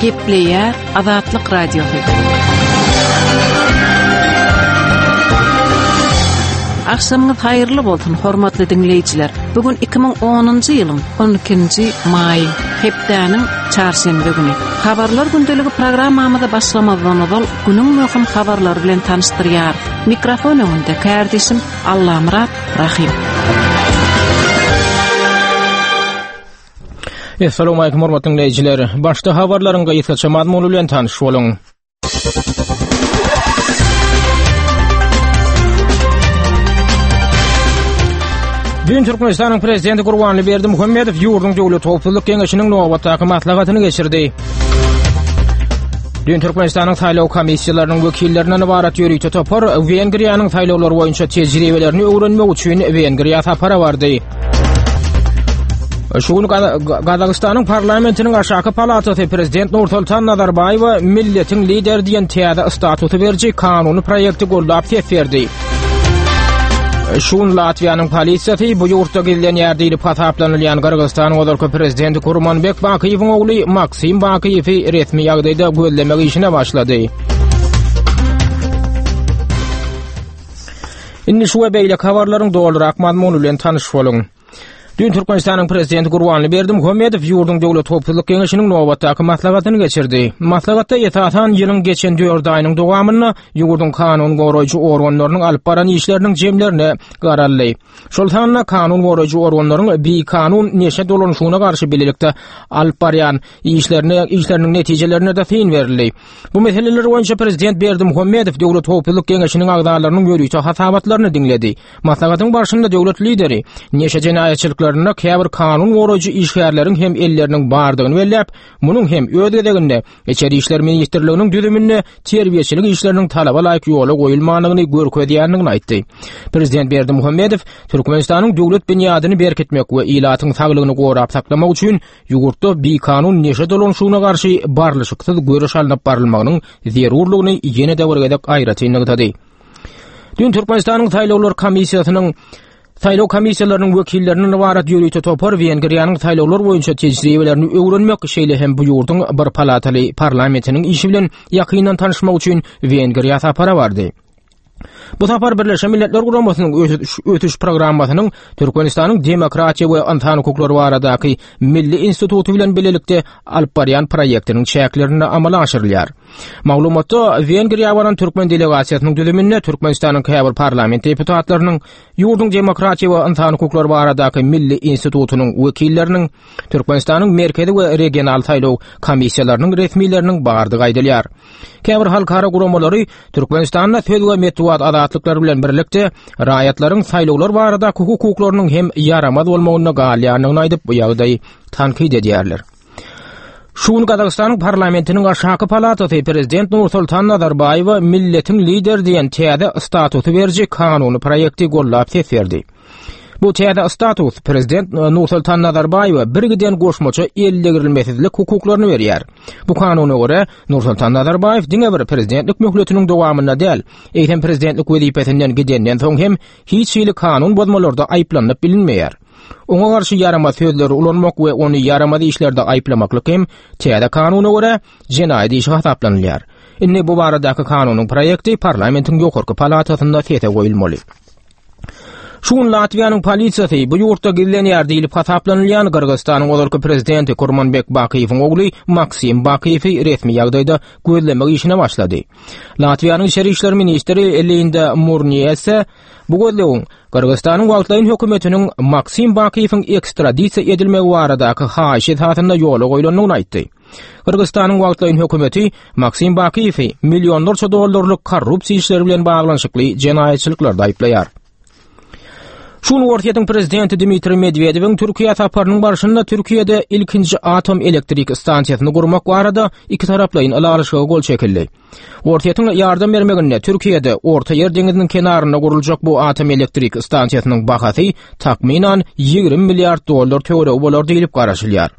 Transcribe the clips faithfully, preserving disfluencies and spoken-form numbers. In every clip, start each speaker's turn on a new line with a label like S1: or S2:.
S1: Gepleýär Azatlyk Radiosy. Akşamyňyz haýyrly bolsun, hormatly diňleýjiler. Bugün iki müň onunjy ýylyň on ikinji maýy, hepdäniň çarşenbe güni. Habarlar gündeligi programmamyzy başlamazdan ozal günüň möhüm habarlary bilen tanyşdyrýar. Mikrofon öňünde kärdeşim Allamyrat Rahim.
S2: Essalamu alaykum hormatly dinleýjiler. Başda habarlaryň gysgaça mazmuny bilen tanyş boluň. Dün Türkmenistanyň Prezidenti Gurbanguly Berdimuhamedow ýurduň Döwlet Howpsuzlyk Geňeşiniň nobatdaky maslahatyny geçirdi. Dün Türkmenistanyň saýlaw komissiýalarynyň wekillerinden ybarat ýörite topar Wengriýanyň saýlawlary boýunça tejribelerini öwrenmek üçin Wengriýa sapara bardy. Şu gün Gazagystanyň parlamentiniň aşaky palatasy Prezident Nursultan Nazarbaýewa milletiň lideri diýen täze statusy beriji kanuny proýekti goldap ses berdi. Şu gün Latwiýanyň polisiýasy bu ýurtda gizlenýär diýlip hasaplanylýan Gyrgyzystanyň ozalky prezidenti Kurmanbek Bakyýewiň ogly Maksim Bakyýewi resmi ýagdaýda gözlemek işine başlady. Indi şu we beýleki habarlaryň dolurak mazmuny bilen tanyş boluň. Dün Türkmenistanyň Prezidenti Gurbanguly Berdimuhamedow ýurduň Döwlet Howpsuzlyk Geňeşiniň nobatdaky maslahatyny geçirdi. Maslahatda esasan ýylyň geçen dört aýynyň dowamynda ýurduň kanun goraýjy organlarynyň alyp baran işleriniň jemlerine garaldy. Şol sanda kanun goraýjy organlaryň bikanun neşe dolanyşygyna garşy bilelikde alyp barýan işlerine, işleriniň netijelerine de syn berildi. Bu meseleler boýunça Prezident Berdimuhamedow Döwlet Howpsuzlyk Geňeşiniň agzalarynyň ýörite hasabatlaryny diňledi. Maslahatyň barşynda döwlet lideri neşe jenaýatçylyklarynda käbir kanun goraýjy işgärleriň hem elleriniň bardygyny belläp, munuň hem öz gezeginde Içeri İşler Ministrliginiň düzüminde terbiýeçilik işleriniň talaba laýyk ýola goýulmandygyny görkezýändigini aýtdy. Prezident Berdimuhamedow Türkmenistanyň döwlet binýadyny berkitmek we ilatyň saglygyny gorap saklamak üçin ýurtda bikanun neşe dolanyşygyna garşy barlyşyksyz göreş alnyp barylmagynyň zerurlygyny ýene-de bir gezek aýratyn nygtady. Dün Türkmenistanyň saýlawlar komissiýasynyň saýlaw komissiýalarynyň wekillerinden ybarat ýörite topar Wengriýanyň saýlawlar boýunça tejribelerini öwrenmek, şeýle hem bu ýurduň bir palataly parlamentiniň işi bilen ýakyndan tanyşmak üçin Wengriýa sapara bardy. Bu sapar Birleşen Milletler Guramasynyň ösüş, ösüş programmasynyň Türkmenistanyň demokratiýa we ynsan hukuklary baradaky Milli instituty bilen bilelikde alyp barýan proýektiniň çäklerinde amala aşyrylýar. Maglumatda Wengriýa baran türkmen delegasiýasynyň düzüminde Türkmenistanyň käbir parlament deputatlarynyň, ýurduň demokratiýa we ynsan hukuklary baradaky Milli institutynyň wekilleriniň, Türkmenistanyň merkezi we regional saýlaw komissiýalarynyň resmileriniň bardygy aýdylýar. Käbir halkara guramalary Türkmenistanda söz we metbugat azatlyklary bilen birlikde raýatlaryň saýlawlar baradaky hukuklarynyň hem ýaramaz bolmagynda galýandygyny aýdyp, bu ýagdaýy tankyt edýärler. Şu gün Gazagystanyň parlamentiniň aşaky palatasy Prezident Nursultan Nazarbaýewa milletiň lideri diýen täze statusy beriji kanuny proýekti goldap ses berdi. Bu täze status Prezident Nursultan Nazarbaýewa bir giden goşmaça eldegirilmesizlik hukuklaryny berýär. Bu kanuna görä Nursultan Nazarbaýew diňe bir prezidentlik möhletiniň dowamynda däl, eýsem prezidentlik wezipesinden gidenden soň hem hiç hili kanun bozmalarda aýyplanyp bilinmeýär. Oňa garşy ýaramaz sözleri ulanmak we ony ýaramaz işlerde aýyplamaklyk hem täze kanuna görä jenaýat işi hasaplanylýar. Indi bu baradaky kanunyň proýekti parlamentiň ýokarky palatasynda sese goýulmaly. Şu gün Latwiýanyň polisiýasy bu ýurtda gizlenýär diýlip hasaplanylýan Gyrgyzystanyň ozalky prezidenti Kurmanbek Bakyýewiň ogly Maksim Bakyýewi resmi ýagdaýda gözlemek işine başlady. Latwiýanyň içeri işler ministri Linda Murniýese bu gözlegiň Gyrgyzystanyň wagtlaýyn hökümetiniň Maksim Bakyýewiň ekstradisiýa edilmegi baradaky haýyşy esasynda ýola goýlandygyny aýtdy. Gyrgyzystanyň wagtlaýyn hökümeti Maksim Bakyýewi millionlarça dollarlyk korrupsiýa işleri bilen baglanyşykly jenaýatçylyklarda aýyplaýar. Şu gün Orsýetiň prezidenti Dmitriý Medwedewiň Türkiýe saparynyň barşynda Türkiýede ilkinji atom elektrik stansiýasyny gurmak barada iki taraplaýyn ylalaşyga gol çekildi. Orsýetiň ýardam bermeginde Türkiýede Orta Ýer deňiziniň kenarynda guruljak bu atom elektrik stansiýasynyň bahasy takmynan ýigrimi milliard dollar töweregi bolar diýlip garaşylýar.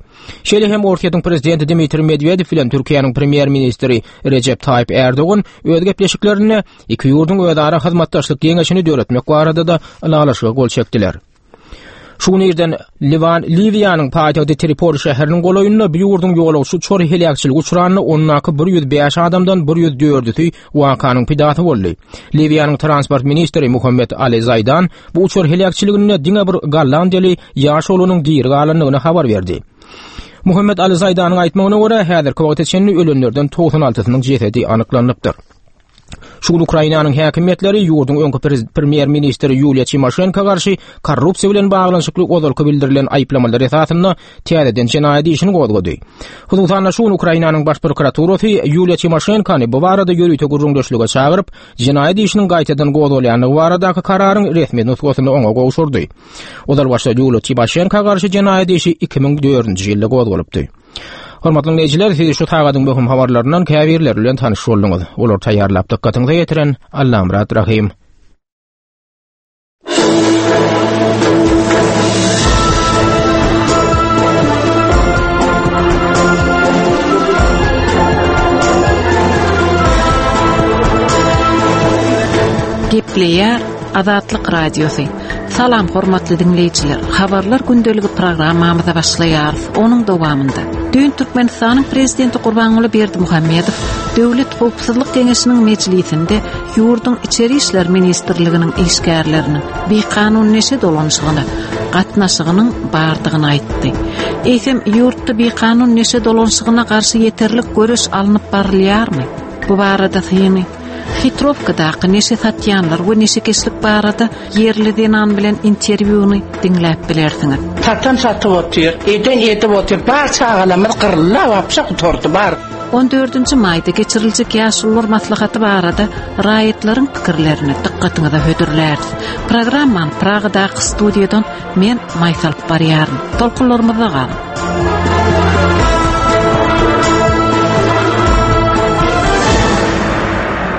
S2: Şeýle hem Orsýetiň prezidenti Dmitriý Medwedew bilen Türkiýäniň premýer-ministri Rejep Taýyp Erdogan öz gepleşiklerinde iki ýurduň özara hyzmatdaşlyk geňeşini döretmek barada-da ylalaşyga gol çekdiler. Şu gün irden Liwan Liwiýanyň paýtagty Tripoli şäheriniň golaýynda bir ýurduň ýolagçy uçary heläkçilige uçranda ondaky bir ýüz bäş adamdan bir ýüz dördüsi wakanyň pidasy boldy. Liwiýanyň transport ministri Muhammed Ali Zaydan bu uçar heläkçiliginde diňe bir Gollandiýaly ýaş oglanyň diri galandygyny habar berdi. Muhammed Ali Zaydanyň aýtmagyna görä, häzirki wagta çenli ölenlerden togsan altysynyň jesedi anyklanypdyr. Şu gün Ukrainanyň häkimiýetleri ýurduň öňki premýer-ministri Ýuliýa Timoşenko garşy korrupsiýa bilen baglanyşykly ozalky bildirilen aýyplamalar esasynda täzeden jenaýat işini gozgady. Hususan-da şu gün Ukrainanyň baş prokuraturasy Ýuliýa Timoşenkony bu barada ýörite gürrüňdeşlige çagyryp, jenaýat işiniň gaýtadan gozgalýandygy baradaky kararyň resmi nusgasyny oňa gowşurdy. Ozal başda Ýuliýa Timoşenko garşy jenaýat işi iki müň dördünji ýylda gozgalypdy. Hormatly dinleýjiler, siz şu sagadyň möhüm habarlaryndan käbirleri bilen tanyş bolduňyz. Olar taýýarlap dykgatyňyza ýetiren Allamyrat Rahim.
S1: Gepleýär Azatlyk Radiosy. Salam hormatly dinleýjiler. Habarlar gündeligi programmamyza başlaýarys. Onuň dowamynda düýn Türkmenistanyň prezidenti Gurbanguly Berdimuhamedow Döwlet Howpsuzlyk Geňeşiniň mejlisinde ýurduň Içeri İşler Ministrliginiň işgärleriniň bikanun neşe dolanyşygyna gatnaşygynyň bardygyny aýtdy. Eýsem ýurtda bikanun neşe dolanyşygyna garşy ýeterlik göreş alnyp barylýarmy? Bu barada syny Hitrowkadaky neşe satýanlar we neşekeşlik barada ýerli zenan bilen interwýuny diňläp bilersiňiz.
S3: Satan satyp otyr, eden edip otyr, bar çagalarymyz gyryldy, wapşa gutardy bar.
S1: On dördünji maýda geçiriljek ýaşulular maslahaty barada raýatlaryň pikirlerini dykgatyňyza hödürläris. Programmany Pragadaky studiýadan men Maýsa alyp barýaryn. Tolkunlarymyzda galyň.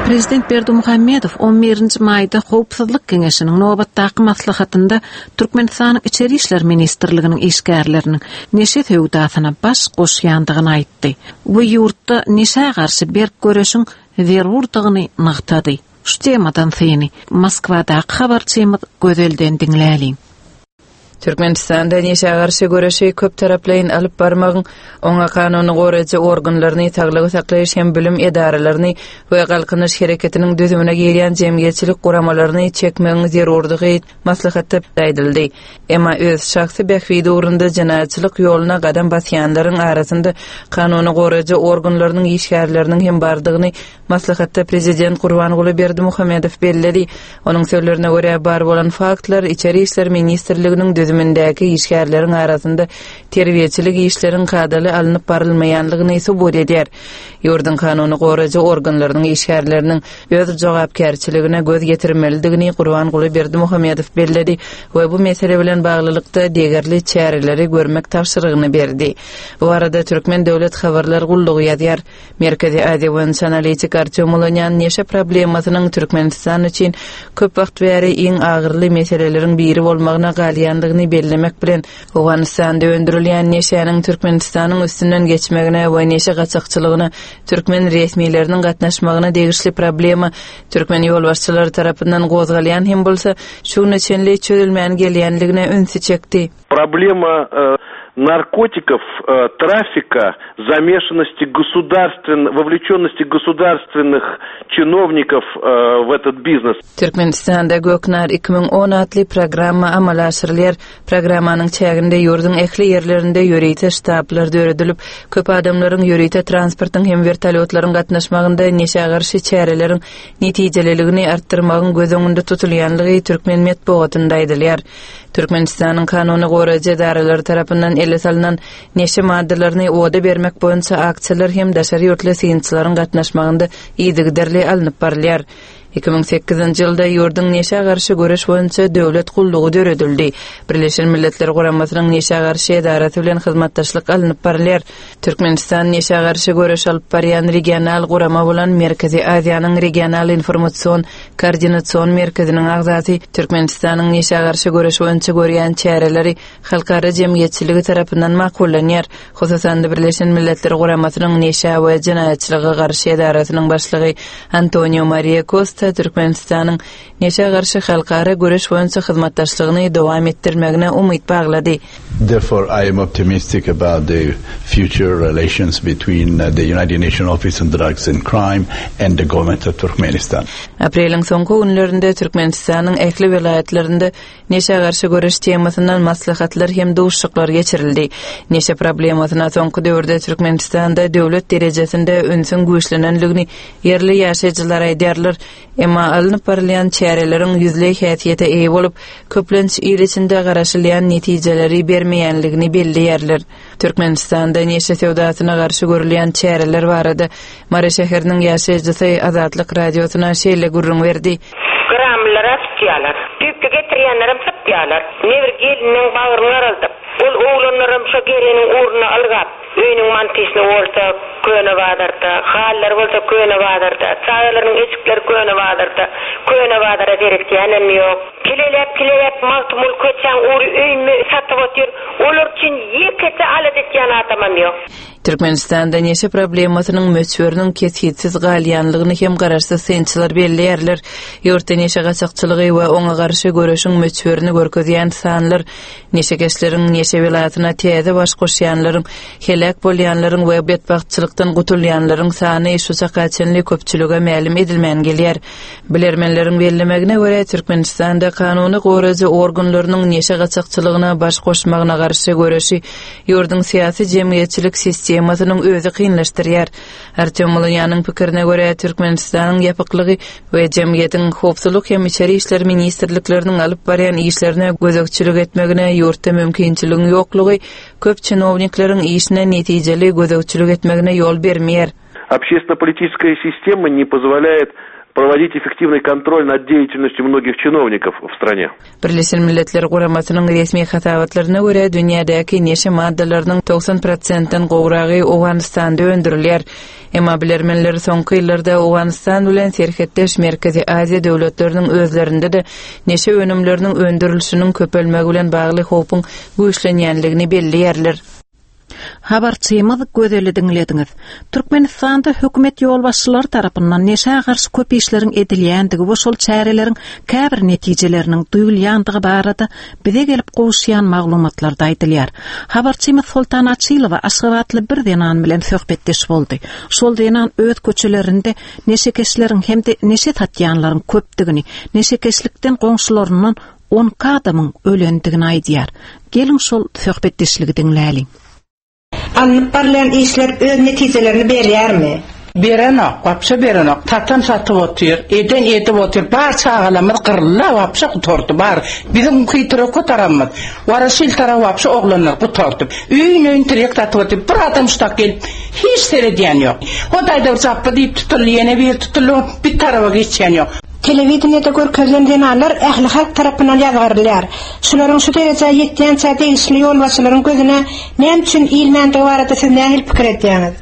S1: Prezident Berdimuhamedow on birinji maýda Howpsuzlyk Geňeşiniň nobatdaky maslahatynda Türkmenistanyň Içeri İşler Ministrliginiň işgärleriniň neşe söwdasyna baş goşýandygyny aýtdy we ýurtda neşä garşy berk göreşiň zerurdygyny nygtady. Şu temadan syny Moskwadaky habarçymyz Gözelden diňläliň.
S4: Türkmenistanda neşä garşy göreşi köp taraplaýyn alyp barmagyň, oňa kanuny goraýjy organlaryny, saglygy saklaýyş hem bilim edaralaryny we galkynyş hereketiniň düzümine girýän jemgyýetçilik guramalaryny çekmegiň zerurdygy maslahatda aýdyldy. Emma öz şahsy bähbidi ugrunda jenaýatçylyk ýoluna gadam basýanlaryň arasynda kanuny goraýjy organlarynyň işgärleriniň hem bardygyny maslahatda prezident Gurbanguly Berdimuhamedow belledi. Onuň sözlerine görä bar bolan faktlar Içeri İşler Ministrliginiň düzümindäki işgärleriň arasynda terbiýeçilik işleriň kadaly alnyp barylmaýanlygyny subut edýär. Ýurduň kanuny goraýjy organlarynyň işgärleriniň öz jogapkärçiligine göz ýetirmelidigini Gurbanguly Berdimuhamedow belledi we bu mesele bilen baglylykda degerli çäreleri görmek tabşyrygyny berdi. Bu arada Türkmen Döwlet Habarlar Gullugy ýazýar. Merkezi Aziýa boýunça analitik Artyom Ulanýan neşe problemasynyň Türkmenistan üçin köp wagt bäri iň agyrly meseleleriň biri bolmagyna galýandygyny bellemek bilen Owganystanda öndürilýän neşäniň Türkmenistanyň üstünden geçmegine we neşe gaçakçylygyna türkmen resmileriniň gatnaşmagyna degişli problema türkmen ýolbaşçylary tarapyndan gozgalýan hem bolsa şu güne çenli çözülmän gelýänligine ünsi çekdi.
S5: Problema, e, наркотиков, э, трафика, замешанности государствен-, вовлеченности государственных чиновников, э, в этот бизнес.
S4: Türkmenistanda Göknar iki müň on atly programma amala aşyrylýar. Programmanyň çäginde ýurduň ähli ýerlerinde ýörite ştablar döredilip, köp adamlaryň ýörite transportyň hem vertolýotlaryň gatnaşmagynda neşä garşy çäreleriň netijeliligini artdyrmagyň göz öňünde tutulýanlygy türkmen metbugatynda aýdylýar. Türkmenistanyň kanuny goraýjy edaralary tarapyndan ele salynan neşe maddalaryny oda bermek boýunça aksiýalar hem daşary ýurtly synçylaryň gatnaşmagynda yzygiderli alnyp barylýar. Iki müň sekizinji ýylda ýurduň neşä garşy göreş boýunça döwlet gullugy döredildi. Birleşen Milletler Guramasynyň neşä garşy edarasy bilen hyzmatdaşlyk alnyp barylýar. Türkmenistan neşä garşy göreş alyp barýan regional gurama bolan Merkezi Aziýanyň regional informasyon koordinasyon merkeziniň agzasy Türkmenistanyň neşä garşy göreş boýunça görýän çäreleri halkara jemgyýetçiligi tarapyndan makullanýar. Hususan Birleşen Milletler Guramasynyň neşä we jenaýatçylyga garşy edarasynyň başlygy Antonio Maria Costa esasda Türkmenistanyň neşä garşy halkara göreş boýunça hyzmatdaşlygyny dowam etdirmegine umyt baglady.
S6: Therefore, I am optimistic about the future relations between uh, the United Nations Office on Drugs and Crime and the government of Turkmenistan.
S4: Apreliň soňky günlerinde Türkmenistanyň ähli welaýatlarynda neşä garşy göreş temasyndan maslahatlar hem duşuşyklar geçirildi. Neşe problemasyna soňky döwürde Türkmenistanda döwlet derejesinde ünsüň güýçlenenligini ýerli ýaşaýjylar aýdýarlar. Emma alnyp barylýan çäreleriň ýüzleý häsiýete eýe bolup, köplenç il içinde garaşylýan netijeleri bermeýänligini belleýärler. Türkmenistanda neşe söwdasyna garşy görülýän çäreler barada Mary şäheriniň ýaşaýjysy Azatlyk radiosyna şeýle gürrüň berdi.
S7: Gramlara tutýarlar. Düýpde getirýänlerem satýarlar. Ne bir geliniň bagryny araldyp, ol oglanlaram şo geliniň ugruna algap, öýüniň mantysyny bolsa köne bazarda, hallar bolsa köne bazarda, çagalaryň eşikleri köne bazarda, köne bazara gerekýänem ýok. Kilelep kilelep Magtymguly köçäň ugry öýüni satyp otyr. Olar üçin ýekete alat etýän adamam ýok.
S4: Türkmenistanda neşe problemasynyň möçberiniň kesgitsiz galýanlygyny hem garaşsyz synçylar belleýärler. Ýurtda neşe gaçakçylygy we oňa garşy göreşiň möçberini görkezýän sanlar neşekeşleriň neşe welaýatyna täze baş goşýanlaryň, heläk bolýanlaryň we betbagtçylykdan gutulýanlaryň sany şu çaka çenli köpçülige mälim edilmän gelýär. Bilermenleriň bellemegine görä Türkmenistanda kanuny goraýjy organlarynyň neşe gaçakçylygyna baş goşmagyna garşy göreşi ýurduň syýasy jemgyýetçilik sistemasynyň özi kynlaşdyrýar. Artyom Mulunýanyň pikirine görä Türkmenistanyň ýapyklygy we jemgyýetiň howpsuzlyk hem içeri işler ministrlikleriniň alyp barýan işlerine gözegçilik etmegine ýurtda mümkinçiligiň ýoklugy köp чиновниклeriň işine netijeli gözegçilik etmegine ýol bermeýär.
S5: Общественно-политическая система не позволяет проводить эффективный контроль над деятельностью многих чиновников в стране.
S4: Birleşen Milletler Guramasynyň resmi hasabatlaryna görä dünýädäki neşe maddalarynyň togsan prosentden gowragy Owganystanda öndürilýär. Emma bilermenler soňky ýyllarda Owganystan bilen serhetdeş Merkezi Aziýa döwletleriniň özlerinde de neşe önümleriniň öndürilişiniň köpelmegi bilen bagly howpuň güýçlenýänligini belleýärler.
S1: Habarçymyz Gözeli diňlediňiz. Türkmenistanda hökümet ýolbaşçylary tarapyndan neşä garşy köp işleriň edilýändigi we şol çäreleriň käbir netijeleriniň duýulýandygy barada bize gelip gowuşýan maglumatlarda aýdylýar. Habarçymyz Soltan Açylowa Aşgabatly bir zenan bilen söhbetdeş boldy. Şol zenan öz köçelerinde neşekeşleriň hem-de neşe satýanlaryň köpdügini, neşekeşlikden goňşularyndan on adamyň ölendigini aýdýar. Geliň şol söhbetdeşligi diňläliň.
S8: Alnyp barylýan işler öz netijelerini berýärmi?
S3: Berenok, wapşe berenok. Tatan satyp otyr, eden edip otyr. Bar çagalarymyz gyryldy, wapşe gutardy. Bar biziň hyýtyra taramymyz. Waraşyl tarap wapşe oglanlar gutardy. Öýün öýün tirek satyp otyr. Bir adam şutak gelip hiç seredýän ýok. Hodaýda bir çappa diýip tutuldy, ýene bir tutuldy, bir taraba geçýän ýok.
S8: Telewideniýede görkezilen zenanlar ähli halk tarapyndan ýazgarylýar. Şularyň şu derejä ýetýänçä degişli ýolbaşçylaryň gözüne näme üçin ilmändigi barada siz nähili pikir edýäňiz?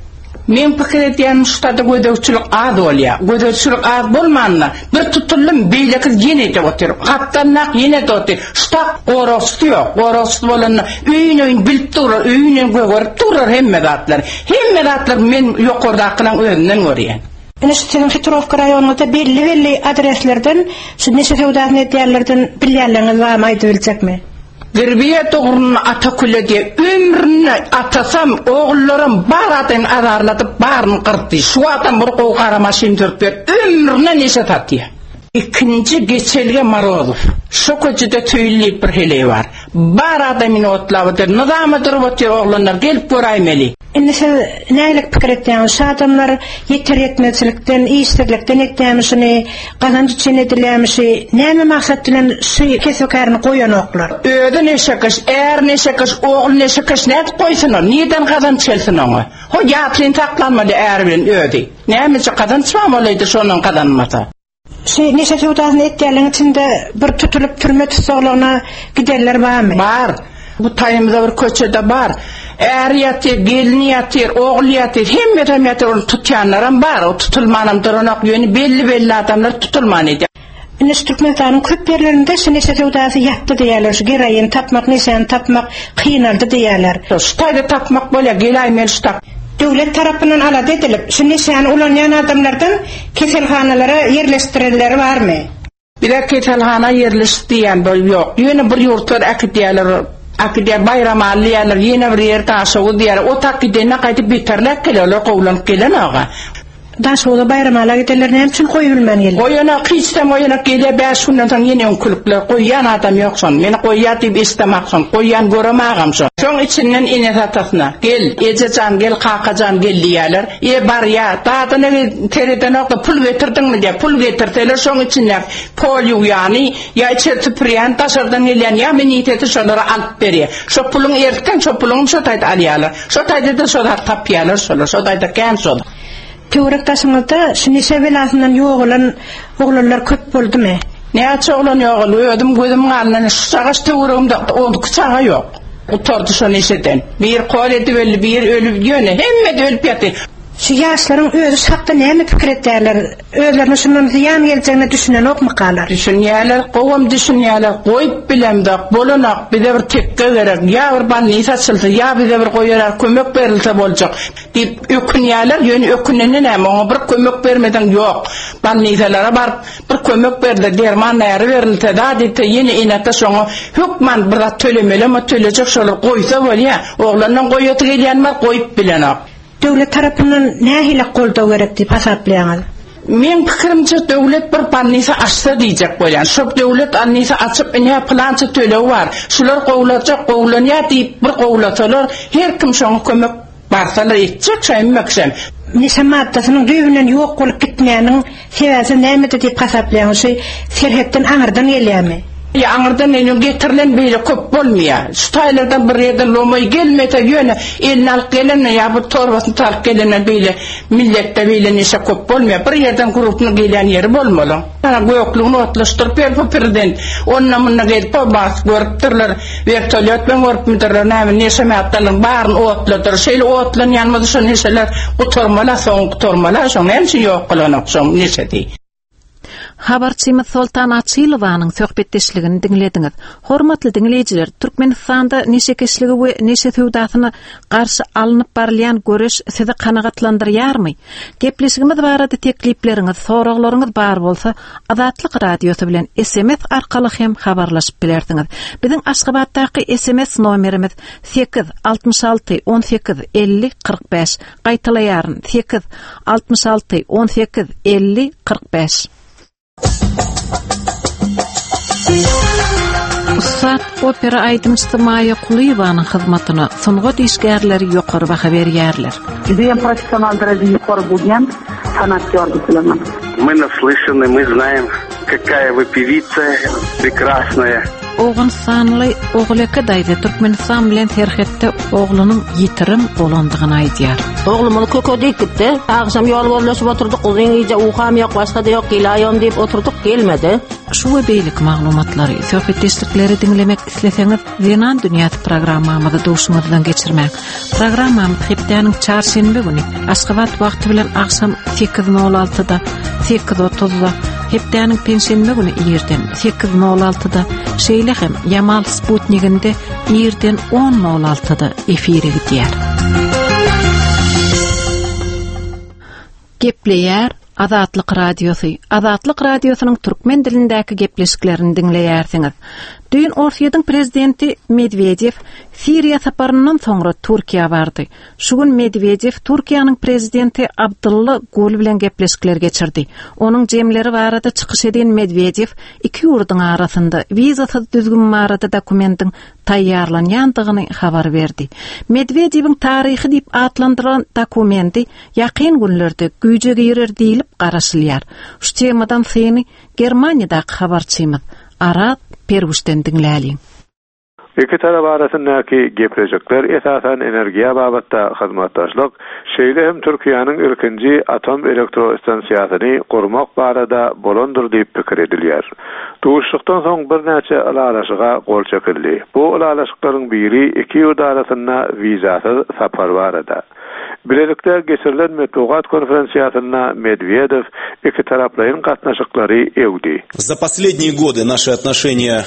S3: Men pikir edýänim şu taýda gözegçilik az bolýar. Gözegçilik az bolmanda bir tutuldym, beýleki ýene edip otyr. Gapdannak ýene de otyr. Şu tak goragçysy ýok. Goragçysy bolanda öýün öýün bilip durar, öýün öýün gögerip durar hemme zatlar. Hemme zatlar men ýokardakynyň özünden görýän.
S8: Ine şu siziň Hitrowka raýonynda belli-belli adreslerden şu neşe söwdasyny edýänlerden bilýänleriňiz barmy aýdyp biljekmi?
S3: Zirbiye doğrunu Atakule diye ömrüne atasam oğullarım bar adayın azarlatıp barını kırdı. Şu adam bir kovu kara maşin dürüp ber ömrüne neşe tatıyor. İkinci geçelge Marozov. Şu köçede tüylü bir heleyi var. Bar adamın otlavıdır. Nizamı durup otuyor oğlanlar gelip göraymeli.
S8: Indi siz nälik pikir etýäňiz? Şu adamlar ýeter ýetmezçilikden, işsizlikden etýämişini, gazanç üçin edilýämişi, näme maksat bilen şu kesekaryny goýanoklar?
S3: Özi neşekeş, är neşekeş, oğul neşekeş nädip goýsun o? Nirden gazanç gelsin oňa? Ho ýatlyn saklanmaly är bilen özi. Nämeçe gazanç bar bolaydy şondan gazanmasa?
S8: Şu neşe söwdasyny etýänleriň içinde bir tutulyp türme tussaglygyna gidenler barmy?
S3: Bar. Bu taýymyzda bir köçede bar. Är ýatyr, gelin ýatyr, ogul ýatyr, hemme adam ýatyr, ony tutýanlaram bar. O tutulmanam duranok, ýöne belli-belli adamlar tutulman edýär.
S8: Ine şu Türkmenistanyň köp ýerlerinde şu neşe söwdasy ýatdy diýýärler, şu geroin tapmak, neşäni tapmak kynaldy diýýärler.
S3: Şu taýda tapmak bolýar, gelaý men şu tak.
S8: Döwlet tarapyndan alada edilip, şu neşäni ulanýan adamlardan keselhanalara ýerleşdirenleri barmy?
S3: Bize keselhana ýerleş diýen bir ýok. Ýöne bir ýurtlar äkidýärler, äkidýär Baýramaly diýýärler, ýene bir ýer Daşoguz diýýärler. O tak gidende gaýdyp beterläp gelýärler, gowlanyp gelen aga.
S8: Daşoguza Baýramala gidenler näme üçin goýup bilmän geldi?
S3: Goýanak hiçden goýanak gelýär, bäş günden soň ýene öňkülükler goýýan adam ýok şon. Meni goýýar diýip eşdemak şon. Goýýan görem agam şon. Şoň içinden ene atasyna gel, ejejan gel, kakajan gel diýýärler. E barýar, dadyna seredenok da pul getirdiňmi diýär. Pul getirseler şoň içinden pol ýuwýany, ýa içeri süpürýän, daşardan gelýän, ýa meniteti şolara alyp berýär. Şo puluň ertden şo puluň şo taýda alýarlar. Şo taýda da şo zat tapýarlar şolar. Şo taýda kän şol.
S8: Töwerek daşyňyzda şu neşe belasyndan ýogalan oglanlar köp boldumy?
S3: Näçe oglan ýogaldy, özüm gözüm galyndan şu çagaş töweregimde on iki çaga ýok. Gutardy şo neşeden. Bir kol edip öldi, bir ölüp ýöne, hemme de ölüp ýatdy.
S8: Şu ýaşlaryň özi şu hakda näme pikir etýärler? Özlerine şundan zyýan geljegine düşünenokmykalar?
S3: Düşünýärler, gowam düşünýärler, goýup bilemzok, bolanok, bize bir tekke gerek, ýa bir balnis açylsa, ýa bize bir goýarar kömek berilse boljak diýip ökünýärler, ýöne ökünende näme, oňa bir kömek bermeden ýok. Balnisalara baryp bir kömek berilse, derman näri berilse, zat etse, ýene ene-ata şoňa hökman bir zat tölemeli, ama tölejek şolar goýsa bolýar. Oglandan goýaty gelýän bar, goýup bilenok.
S8: Döwlet tarapyndan nähili goldaw gerek diýip hasaplaýaňyz?
S3: Men pikirimçe döwlet bir balnisa açsa diýjek bolýan. Şo döwlet balnisa açyp ine plança töleg bar. Şular gowlajak, gowlanýar diýip bir gowlasalar, her kim şoňa kömek barsalar etjek şaýmakşam.
S8: Neşe maddasynyň düýbünden ýok bolup gitmeýäniň sebäbi nämede diýip hasaplaýaňyz? Şu serhetden aňyrdan gelýärmi?
S3: Ya aňyrdan ene getirilen beýle köp bolmaýar. Şu taýlardan bir ýerden lomaý gelmese ýöne elini alyp gelende ýa bu torbasyny talyp gelende beýle milletde beýle neşe köp bolmaýar. Bir ýerden grupny gelýän ýeri bolmaly. Ana göklügini otlaşdyryp ber bu prezident. Ondan munda gelip o bas görüpdirler. Vertolyot bilen görüpdirler. Näme neşe maddalyň baryny otladyr. Şeýle otlanýan bolsa şo neşeler gutarmaly, soň gutarmaly, şoň näme üçin ýok bolanok şoň neşesi.
S1: Habarçymyz Soltan Açylowanyň söhbetdeşligini diňlediňiz. Hormatly diňleýjiler, Türkmenistanda neşekeşligi we neşe söwdasyna garşy alnyp barylýan göreş sizi kanagatlandyrýarmy? Gepleşigimiz barada teklipleriňiz, soraglaryňyz bar bolsa, Azatlyk radiosy bilen S M S arkaly hem habarlaşyp bilersiňiz. Biziň Aşgabatdaky S M S nomerimiz sekiz altmyş alty on sekiz elli kyrk bäş. Gaýtalaýaryn, sekiz altmyş alty on sekiz elli kyrk bäş. Ussat opera aýdymçysy Maýa Kulyýewanyň hyzmatyna sungat işgärleri ýokary baha berýärler.
S9: Judayam professional derejede ýokary bolýan sanatkar diýip bilemen.
S10: Мы наслышаны, мы знаем, какая вы певица прекрасная.
S1: Owganystanly Oguleke daýza Türkmenistan bilen serhetde oglunyň ýitirim bolandygyny aýdýar.
S11: Oglumyz köke diýip gitdi. Agşam ýol gözleşip oturdyk, uzyn gije uýkam ýok, başga da ýok, gelaýom diýip oturdyk, gelmedi.
S1: Şu we beýleki maglumatlary, söhbetdeşlikleri diňlemek isleseňiz, Zenan dünýäsi programmamyzy duşuňyzdan geçirmäň. Programmamyz hepdäniň çarşenbe güni Aşgabat wagty bilen agşam sekiz nol altyda, sekiz otuzda, hepdäniň penşenbe güni irden sekiz nol altyda, şeýle hem Ýamal Sputniginde irden on nol altyda efire gidýär. Gepleýär Azatlyk Radiosy. Azatlyk Radiosynyň türkmen dilindäki gepleşiklerini diňleýärsiňiz. Düýn Orsýetiň prezidenti Medwedew Siriýa saparyndan soňra Türkiýä bardy. Şu gün Medwedew Türkiýäniň prezidenti Abdylla Gül bilen gepleşikler geçirdi. Onuň jemleri barada çykyş eden Medwedew iki ýurduň arasynda wizasyz düzgün barada dokumentin taýýarlanýandygyny habar berdi. Medwedewiň taryhy diýip atlandyrylan dokumenti ýakyn günlerde güýje girer diýilip garaşylýar. Şu temadan syny Germaniýadaky habarçymyz Arat Perwuşdan diňläliň.
S12: Iki tarap arasyndaky gepleşikler esasan energiýa babatda hyzmatdaşlyk, şeýle hem Türkiýäniň ilkinji atom elektrostansiýasyny gurmak barada bolandyr diýip pikir edilýär. Duşuşykdan soň birnäçe ylalaşyga gol çekildi. Bu ylalaşyklaryň biri iki ýurt arasynda wizasyz sapar barada. Bilelikde geçirilen metbugat konferensiýasynda Medvedev iki taraplaýyn gatnaşyklary ewdi.
S13: За последние годы наши отношения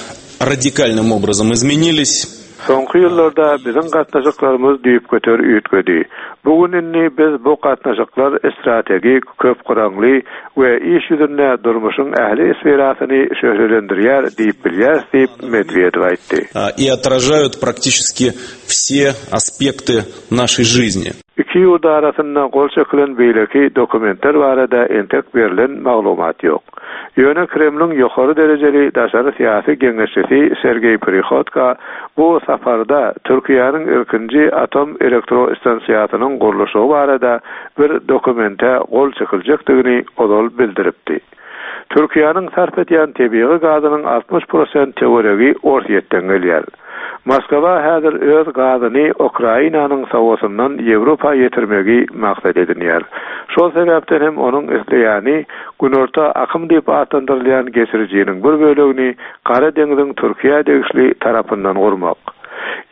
S13: радикальным образом изменились.
S12: Soňky ýyllarda biziň gatnaşyklarymyz düýpgöter üýtgedi. Bu gün indi biz bu gatnaşyklar strategik, köpgyraňly we iş ýüzünde durmuşyň ähli sferasyny şöhlelendirýär diýip bilýäris diýip Medwedew aýtdy.
S13: И отражают практически все aspekты нашей жизни.
S12: Iki ýurt arasynda gol çekilen beýleki dokumentler barada entek berlen maglumat ýok. Ýöne Kremliň ýokary derejeli daşary syýasy geňeşçisi Sergeý Prihodko bu saparda Türkiýäniň ilkinji atom elektrostansiýasynyň gurluşygy barada bir dokumente gol çekiljekdigini ozal bildiripdi. Türkiýäniň sarp edýän tebigy gazynyň altmyş prosent töweregi Orsýetden gelýär. Moskwa häzir öz gazyny Ukrainanyň sowasyndan Ýewropa ýetirmegi maksat edinýär. Şol sebäpden hem onuň isleýäni Günorta akym diýip atlandyrylýan geçirijiniň bir bölegini Gara deňziň Türkiýä degişli tarapyndan gurmak.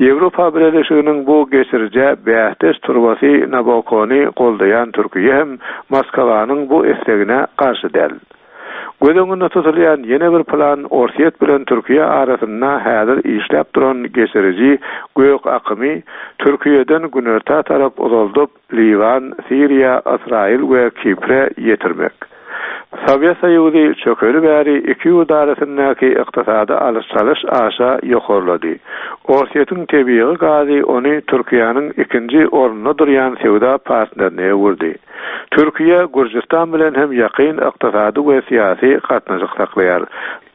S12: Ýewropa Birleşiginiň bu geçirijä bähdeş turbasy Nabokony goldaýan Türkiýe hem Moskwanyň bu islegine garşy däl. Göz öňünde tutulýan ýene bir plan Orsýet bilen Türkiýe arasynda häzir işläp duran geçiriji Gök akymy Türkiýeden günorta tarap uzaldyp Liwan, Siriýa, Ysraýyl we Kipre ýetirmek. Sowet Soýuzy çökeli bäri iki ýurt arasyndaky ykdysady alyş-çalyş aşa ýokarlady. Orsýetiň tebigy gazy ony Türkiýäniň ikinji ornunda durýan söwda partnerine öwürdi. Türkiýe Gürjüstan bilen hem ýakyn ykdysady we syýasy gatnaşyk saklaýar.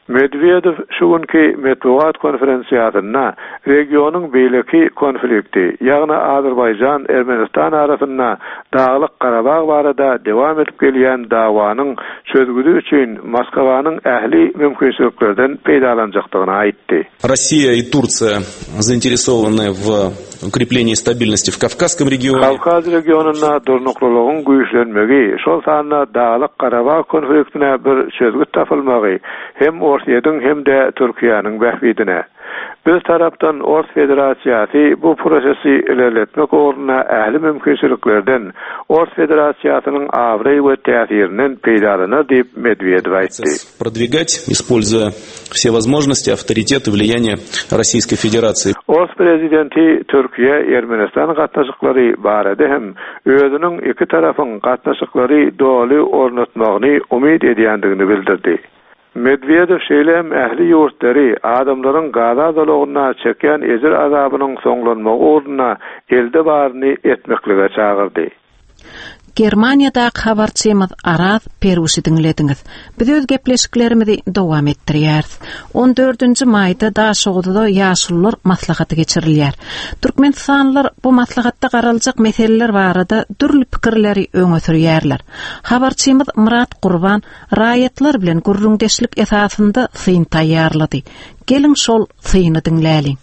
S12: Medwedew şu günki metbugat konferensiýasynda regionyň beýleki konflikti, ýagny Azerbaýjan Ermenistan arasynda Daglyk Garabag barada dowam edip gelýän dawanyň çözgüdi üçin Moskwanyň ähli mümkinçiliklerden peýdalanjakdygyny aýtdy.
S13: Россия и Турция заинтересованы в укреплении стабильности в Кавказском регионе.
S12: Kawkaz regionynda durnuklylygyň güýçlenmegi, şol sanda Daglyk Garabag konfliktine bir çözgüt tapylmagy hem Orsýetiň hem-de Türkiýäniň bähbidine. Bir tarapdan Ors Federasiýasy bu prosesi ilerletmek ugruna ähli mümkinçiliklerden Ors Federasiýasynyň abraý we täsirinden peýdalanar diýip Medwedew aýtdy.
S13: Продвигать, используя все возможности, авторитет и влияние Российской Федерации.
S12: Ors prezidenti Türkiýe Ermenistan gatnaşyklary barada hem özüniň iki tarapyň gatnaşyklary doly ornatmagyny umyt edýändigini bildirdi. Medwedew şeýle hem ähli ýurtlary adamlaryň Gaza zolagynda çekýän ejir azabynyň soňlanmagy ugruna elde baryny etmeklige çagyrdy.
S1: Germaniýadaky habarçymyz Araz Peruşy diňlediňiz. Biz öz gepleşiklerimizi dowam etdirýäris. On dördünji maýda Daşoguzda ýaşulular maslahaty geçirilýär. Türkmenistanlylar bu maslahatda garaljak meseleler barada dürli pikirleri öňe sürýärler. Habarçymyz Murat Gurban raýatlar bilen gürrüňdeşlik esasynda syn taýýarlady. Geliň şol syny diňläliň.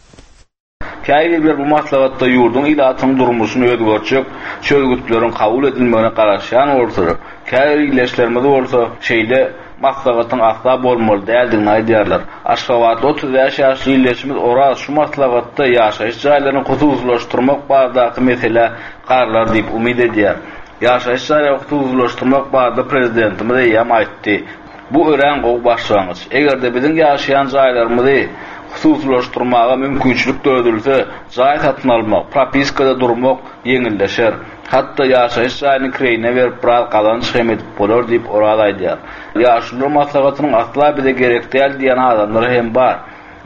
S14: Käbirler bu maslahatda ýurduň ilatynyň durmuşyny özgertjek çözgütleriň kabul edilmegine garaşýan bolsalar, käbir ildeşlerimiz bolsa şeýle maslahatyň asla bolmaly däldigini aýdýarlar. Aşgabatda otuz bäş ýaşly ildeşimiz Oraz şu maslahatda ýaşaýyş jaýlaryny hususylaşdyrmak baradaky mesele garalar diýip umyt edýär. Ýaşaýyş jaýlaryny hususylaşdyrmak barada prezidentimiz eýýäm aýtdy. Bu örän gowy başlangyç. Eger-de biziň ýaşaýan jaýlarymyzy hususylaşdyrmaga mümkinçilik döredilse, jaý satyn almak, propiskada durmak ýeňilleşer. Hatda ýaşaýyş jaýyny kireýine berip biraz gazanç hem edip bolar diýip Oraz aýdýar. Ýaşulular maslahatynyň asla bize gerek däl diýen adamlar hem bar.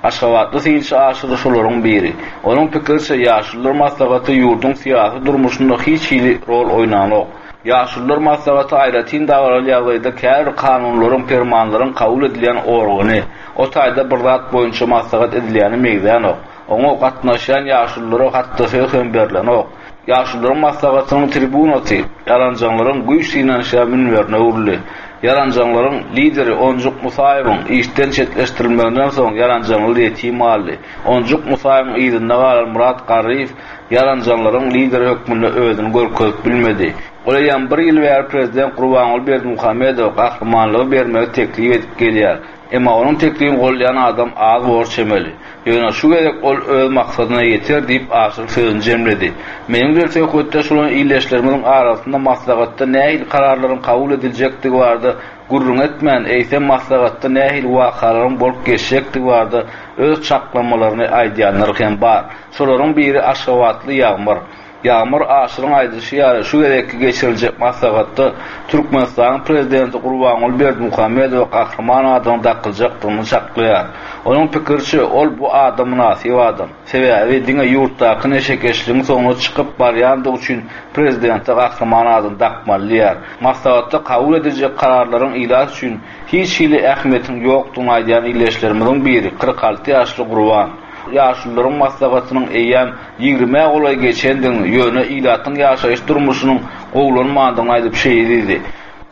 S14: Aşgabatly synçy Aşyr şolaryň biri. Onuň pikiriçe ýaşulular maslahaty ýurduň syýasy durmuşynda hiç hili rol oýnanok. Ýaşulular maslahaty aýratyn dabaraly ýagdaýda käbir kanunlaryň, permanlaryň kabul edilýän organy, o taýda bir zat boýunça maslahat edilýäni meýdanok. Oňa gatnaşýan ýaşululara hatda söz hem berlenok. Ýaşulularyň maslahatynyň tribunasy ýalanjaňlaryň güýç synanyşýan münberine öwrüldi. Ýalanjaňlaryň lideri Onjuk Musaýewiň işden çetleşdirilmeginden soň ýalanjaňlar ýetim galdy. Onjuk Musaýewiň yzynda galan Murat Garryýew ýalanjaňlaryň lideri hökmünde özüni görkezip bilmedi. Ol eýýäm bir ýyl bäri prezident Gurbanguly Berdimuhamedow gahrymanlygy bermegi teklip edip gelýär. Emma onuň teklibini goldaýan adam az bor çemeli. Ýöne şu gezek ol öz maksadyna ýeter diýip Aşyr sözüni jemledi. Meniň bilen söhbetdeş bolan ildeşlerimiziň arasynda maslahatda nähili kararlaryň kabul ediljekdigi barada gürrüň etmän, eýsem maslahatda nähili wakalaryň bolup geçjekdigi barada öz çaklamalaryny aýdýanlar hem bar. Şolaryň biri Aşgabatly Ýagmyr. Ýagmyr Aşyryň aýdyşy ýaly şu gezekki geçiriljek maslahatda Türkmenistanyň prezidenti Gurbanguly Berdimuhamedowa gahryman adynyň dakyljakdygyny çaklaýar. Onuň pikiriçe ol bu ada mynasyp adam. Sebäbi diňe ýurtdaky neşekeşligiň soňuna çykyp barýandygy üçin prezidente gahryman adyny dakmaly diýýär. Maslahatda kabul ediljek kararlaryň ilat üçin hiç hili ähmiýetiniň ýokdugyny aýdýan ildeşlerimiziň biri kyrk alty ýaşly Gurban. Ýaşulularyň maslahatynyň eýýäm ýigrimä golaý geçendigini, ýöne ilatyň ýaşaýyş durmuşynyň gowulanmandygyny aýdyp şeýle diýdi.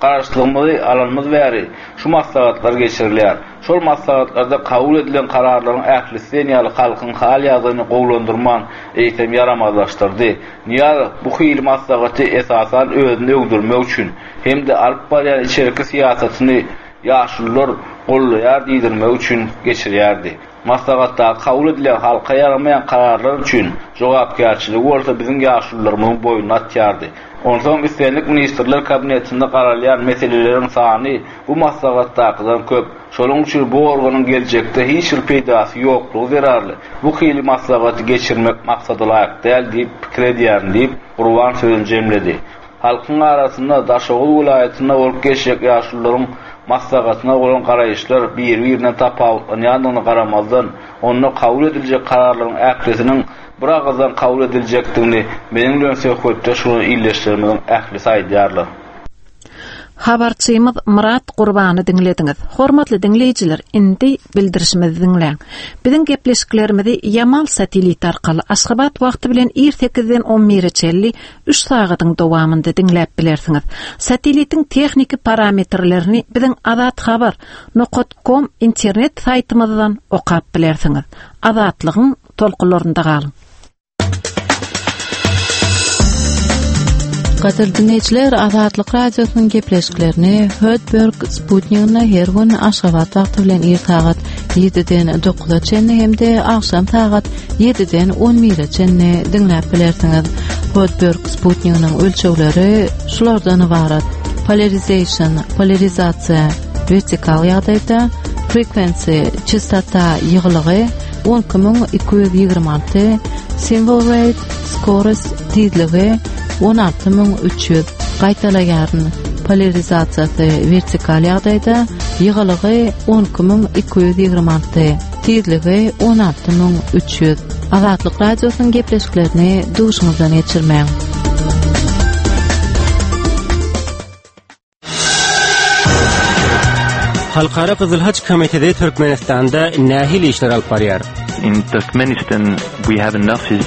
S14: Garaşsyzlygymyzy alanymyz bäri şu maslahatlar geçirilýär. Şol maslahatlarda kabul edilen kararlaryň ählisi diýen ýaly halkyň hal ýagdaýyny gowulandyrman, eýsem ýaramazlaşdyrdy. Nyýazow bu hili maslahaty esasan özüni öwdürmek üçin hem-de alyp barýan içerki syýasatyny ýaşulular gollaýar diýdirmek üçin geçirýärdi. Maslahatda kabul edilen halka ýaramaýan kararlar üçin jogapkärçiligi bolsa biziň ýaşulularymyzyň boýnuna atýardy. Onsoň islendik ministrler kabinetinde garalýan meseleleriň sany bu maslahatdakydan köp. Şonuň üçin bu organyň geljekde hiç bir peýdasy ýoklugy zerarly bu hili maslahaty geçirmek maksada laýyk däl diýip pikir edýärin diýip Gurban sözüni jemledi. Halkyň arasynda Daşoguz welaýatynda bolup geçjek ýaşulularyň maslahatyna bolan garaýyşlar bir-birinden tapawutlanýandygyna garamazdan, onda kabul ediljek kararlaryň ählisiniň bir agyzdan kabul ediljekdigini meniň bilen söhbetdeş bolan ildeşlerimiziň ählisi aýdýarlar.
S1: Habarçymyz Murat Gurbany diňlediňiz. Hormatly diňleýjiler, indi bildirişimizi diňläň. Biziň gepleşiklerimizi Ýamal satellit arkaly Aşgabat wagty bilen ir sekizden on bire çenli üç sagadyň dowamynda diňläp bilersiňiz. Satellitiň tehniki parametrlerini biziň azathabar nokta com internet saýtymyzdan okap bilersiňiz. Azatlygyň tolkunlarynda galyň.
S15: Gadyrly dinleýjiler, Azatlyk Radiosynyň gepleşiklerini Hötberg Sputnik'inde her gün Aşgabat wagty bilen ir sagat ýediden dokuza çenli hem-de agşam sagat ýediden on bire çenli diňläp bilersiňiz. Hötberg Sputnik'iniň ölçegleri şulardan ybarat: polarization, polarizasiýa, vertikal ýagdaýda, frequency, çastota ýygylygy on iki müň iki ýüz ýigrimi alty, symbol rate, skorost tizligi on alty müň üç ýüz, gaýtalaýaryn, polarizasiýasy vertikal ýagdaýda, ýygylygy on iki müň iki ýüz ýigrimi alty, tizligi on alty müň üç ýüz. Azatlyk Radiosynyň gepleşiklerini duşuňyzdan geçirmäň.
S16: Halkara Gyzyl Haç Komiteti Türkmenistanda nähili işler alyp barýar?
S17: In Turkmenistan we have an office.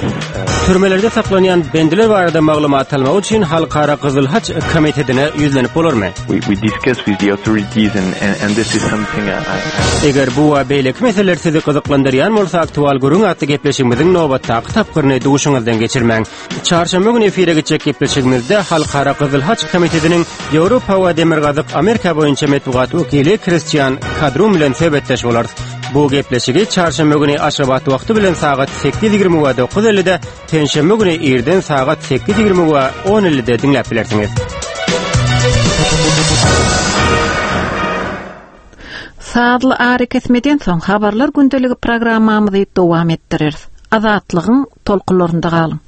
S16: Türmelerde saklanýan bendiler barada maglumat almak üçin Halkara Gyzyl Haç Komitetine ýüzlenip bolarmy?
S17: We, we discuss with the authorities and, and, and this is something I, I
S16: Eger bu we beýleki meseleler sizi gyzyklandyrýan bolsa, aktual gürrüň atly gepleşigimiziň nobatdaky tapgyryny duşuňyzdan geçirmäň. Çarşenbe güni efire geçjek gepleşigimizde Halkara Gyzyl Haç Komitetiniň Ýewropa we Demirgazyk Amerika boýunça metbugat wekili Kristian Kadrum bilen söhbetdeş bolarys. Bu gepleşigi çarşenbe güni Aşgabat wagty bilen sagat sekiz ýigrimi we dokuz ellide, penşenbe güni irden sagat sekiz ýigrimi we on ellide diňläp bilersiňiz.
S1: Sazly ary kesmeden soň habarlar gündeligi programmamyzy dowam etdireris. Azatlygyň tolkunlarynda galyň.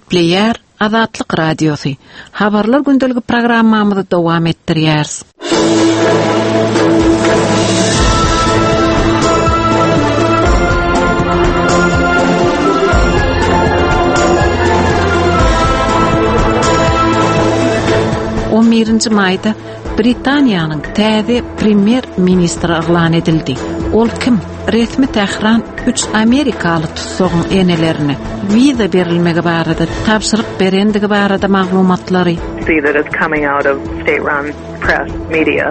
S1: Gepleýär Azatlyk Radiosy. Habarlar gündeligi programmamyzy dowam etdirýäris. On birinji maýda Britaniýanyň täze premýer-ministri yglan edildi. Ol kim? Resmi Tähran üç amerikaly tussagyň enelerine wiza berilmegi barada tabşyryk berendigi barada maglumatlary
S18: see that is coming out of state-run press media.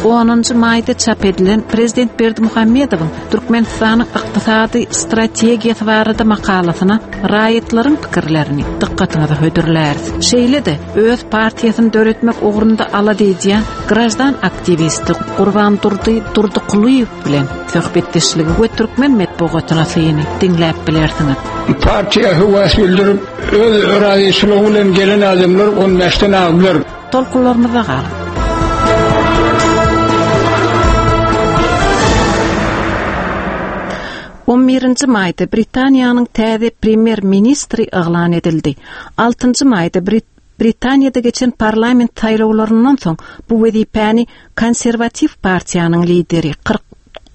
S1: Onunjy maýda çap edilen Prezident Berdimuhamedowyň Türkmenistanyň ykdysady strategiýasy barada makalasyna raýatlaryň pikirlerini dykgatyňyza hödürläris. Şeýle-de öz partiýasyny döretmek ugrunda alada edýän graždan aktiwisti Gurbandurdy Durdykulyýew bilen söhbetdeşligi we türkmen metbugatyna syny diňläp bilersiňiz.
S19: Partiýa höwes bildirip, öz razyçylygy bilen gelen adamlar on bäşden agdylar.
S1: Tolkunlarymyza galyň. On birinji maýda Britaniýanyň täze premýer-ministri yglan edildi. Altynjy maýda Brit-, Britaniýada geçen parlament saýlawlaryndan soň bu wezipäni konserwatiw partiýanyň lideri kyrk,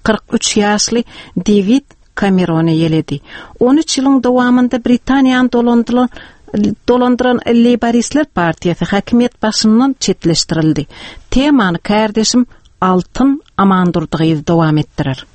S1: kyrk üç ýaşly Dewid Cameron eýeledi. On üç ýylyň dowamynda Britaniýany dolandyran, dolandyran Leýboristler partiýasy häkimiýet başyndan çetleşdirildi. Temany kärdeşim Altyn Amandurdygyz dowam etdirer.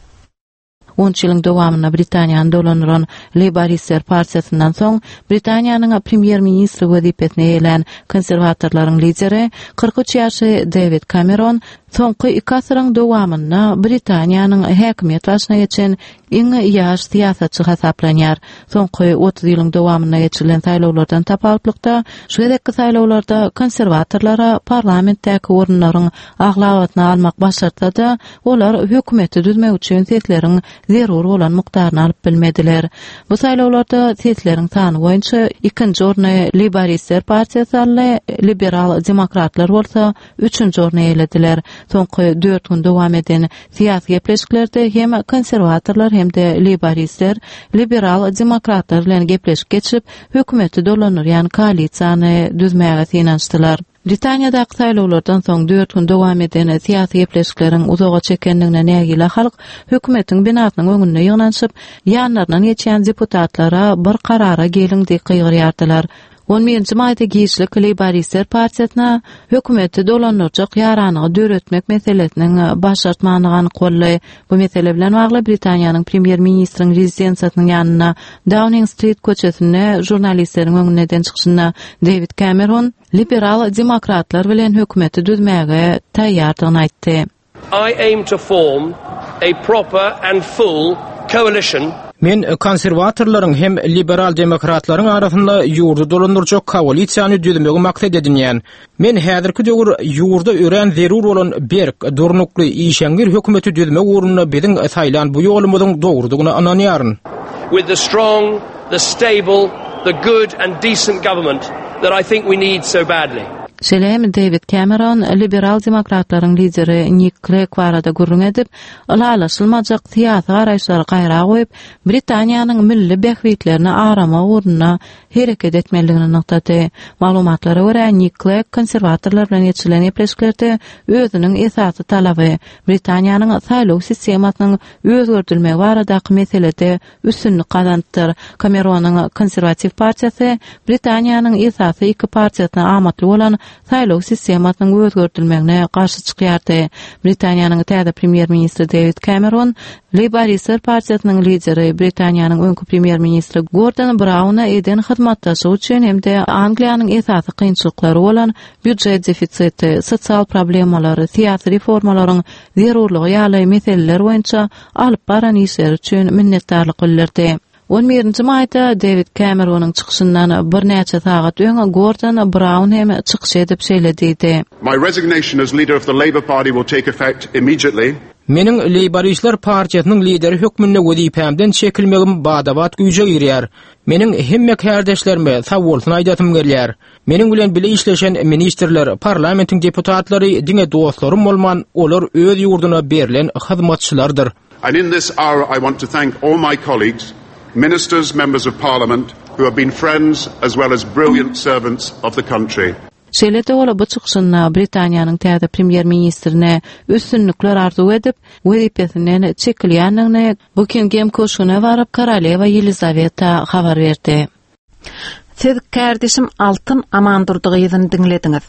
S15: On üç ýylyň dowamynda Britaniýany dolandyran Leýboristler partiýasyndan soň Britaniýanyň premýer-ministri wezipesine eýelän konserwatorlaryň lideri kyrk üç ýaşly Dewid Cameron soňky iki asyryň dowamynda Britaniýanyň häkimiýet başyna geçen iň ýaş syýasatçy hasaplanýar. Soňky otuz ýylyň dowamynda geçirilen saýlawlardan tapawutlykda şu gezekki saýlawlarda konserwatorlara parlamentdäki orunlaryň aglabasyny almak başartsa-da, olar hökümeti düzmek üçin sesleriň zerur bolan mukdaryny alyp bilmediler. Bu saýlawlarda sesleriň sany boýunça ikinji orny Leýboristler partiýasy aldy, liberal demokratlar bolsa üçünji orny eýelediler. Soňky dört gün dowam eden syýasy gepleşiklerde hem konserwatorlar hem de leýboristler liberal demokratlar bilen gepleşik geçirip, hökümeti dolandyrýan koalisiýany düzmäge synanyşdylar. Britaniýadaky saýlawlardan soň dört gün dowam eden syýasy gepleşikleriň uzaga çekendigine nägile halk hökümetiň binasynyň öňünde ýygnanyşyp, ýanlaryndan geçýän deputatlara bir karara geliň diýip gygyrýardylar. On birinji maýda giçlik Leýboristler partiýasyna hökümeti dolandyrjak ýaranygy döretmek meselesiniň başartmany anyk boldy. Bu mesele bilen bagly Britaniýanyň premýer-ministriň rezidensiýasynyň ýanynda Downing Street köçesinde žurnalistleriň öňünde eden çykyşynda Dewid Cameron liberal demokratlar bilen hökümeti düzmäge taýýardygyny aýtdy.
S20: I aim to form a proper and full coalition.
S2: Men konserwatorlaryň hem liberal demokratlaryň arasynda ýurdy dolandyrjak koalisiýany düzmegi maksat edinýän. Men häzirki döwür ýurda örän zerur bolan berk, durnukly, işeňňir hökümeti düzmek ugrunda biziň saýlan bu ýolumyzyň dogrudygyna ynanýaryn.
S20: With the strong, the stable, the good and decent government that I think we need so badly.
S15: Şeýle hem Dewid Cameron liberal demokratlaryň lideri Nick Clegg barada gürrüň edip, ylalaşylmajak syýasy garaýyşlary gaýra goýup, Britaniýanyň milli bähbitlerini aramak ugrunda hereket etmelidigini nygtady. Maglumatlara görä, Nick Clegg konserwatorlar bilen geçirilen gepleşiklerde özüniň esasy talaby Britaniýanyň saýlaw sistemasynyň özgerdilmegi baradaky meselede üstünlik gazanypdyr. Cameronyň konserwatiw partiýasy Britaniýanyň esasy iki partiýasyna amatly bolan saýlaw sistemasynyň özgerdilmegine garşy çykýardy. Britaniýanyň täze premýer-ministri Dewid Cameron Leýboristler partiýasynyň lideri Britaniýanyň öňki premýer-ministri Gordon Browna eden hyzmatdaşlygy üçin hem de Angliýanyň esasy kynçylyklary bolan býujet defisiti, sosial problemalary, syýasy reformalaryň zerurlygy ýaly meseleler boýunça alyp baran işleri üçin minnetdarlyk bildirdi. On birinji maýda Dewid Cameronyň çykyşyndan birnäçe sagat öň Gordon Brown hem çykyş edip şeýle diýdi.
S21: My resignation as leader of the Labour Party will take effect immediately.
S2: Meniň Leýboristler partiýasynyň lideri hökmünde wezipämden çekilmegim badabat güýje girýär. Meniň hemme kärdeşlerime sag bolsun aýdasym gelýär. Meniň bilen bile işleşen ministrler, parlamentiň deputatlary diňe dostlarym bolman, olar öz ýurduna berlen hyzmatçylardyr.
S21: And in this hour I want to thank all my colleagues, ministers, members of parliament who have been friends as well as brilliant servants of the country.
S15: Şeýle-de ol bu çykyşynda Britaniýanyň täze premýer-ministrine üstünlikler arzuw edip, wezipesinden çekilýändigini Bukingem köşgüne baryp Korolewa Ýelizaweta habar berdi.
S1: Siz kärdeşim Altyn Amandurdy gyzyny diňlediňiz.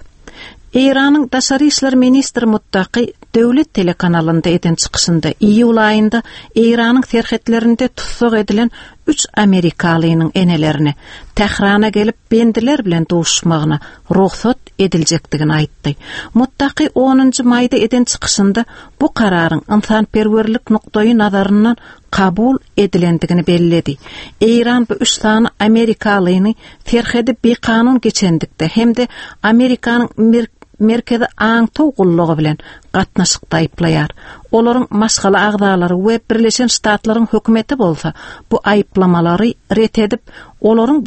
S1: Eýranyň daşary işler ministri Muttaki döwlet telekanalynda eden çykyşynda iýul aýynda Eýranyň serhetlerinde tussag edilen üç amerikalynyň enelerini Tährana gelip bendiler bilen duşmagyna rugsat ediljekdigini aýtdy. Muttaki onunjy maýda eden çykyşynda bu kararyň ynsanperwerlik nukdaýy nazaryndan kabul edilendigini belledi. Eýran bu üç sany amerikalyny serhedi bikanun geçendikde hem-de Amerikanyň Merkezi aňtaw gullugy bilen gatnaşykda aýyplaýar. Olaryň maşgala agzalary we Birleşen Ştatlaryň hökümeti bolsa bu aýyplamalary ret edip, olaryň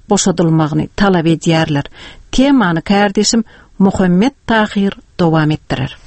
S1: boşadylmagyny talap edýärler. Temany kärdeşim Muhammet Tahir dowam etdirer.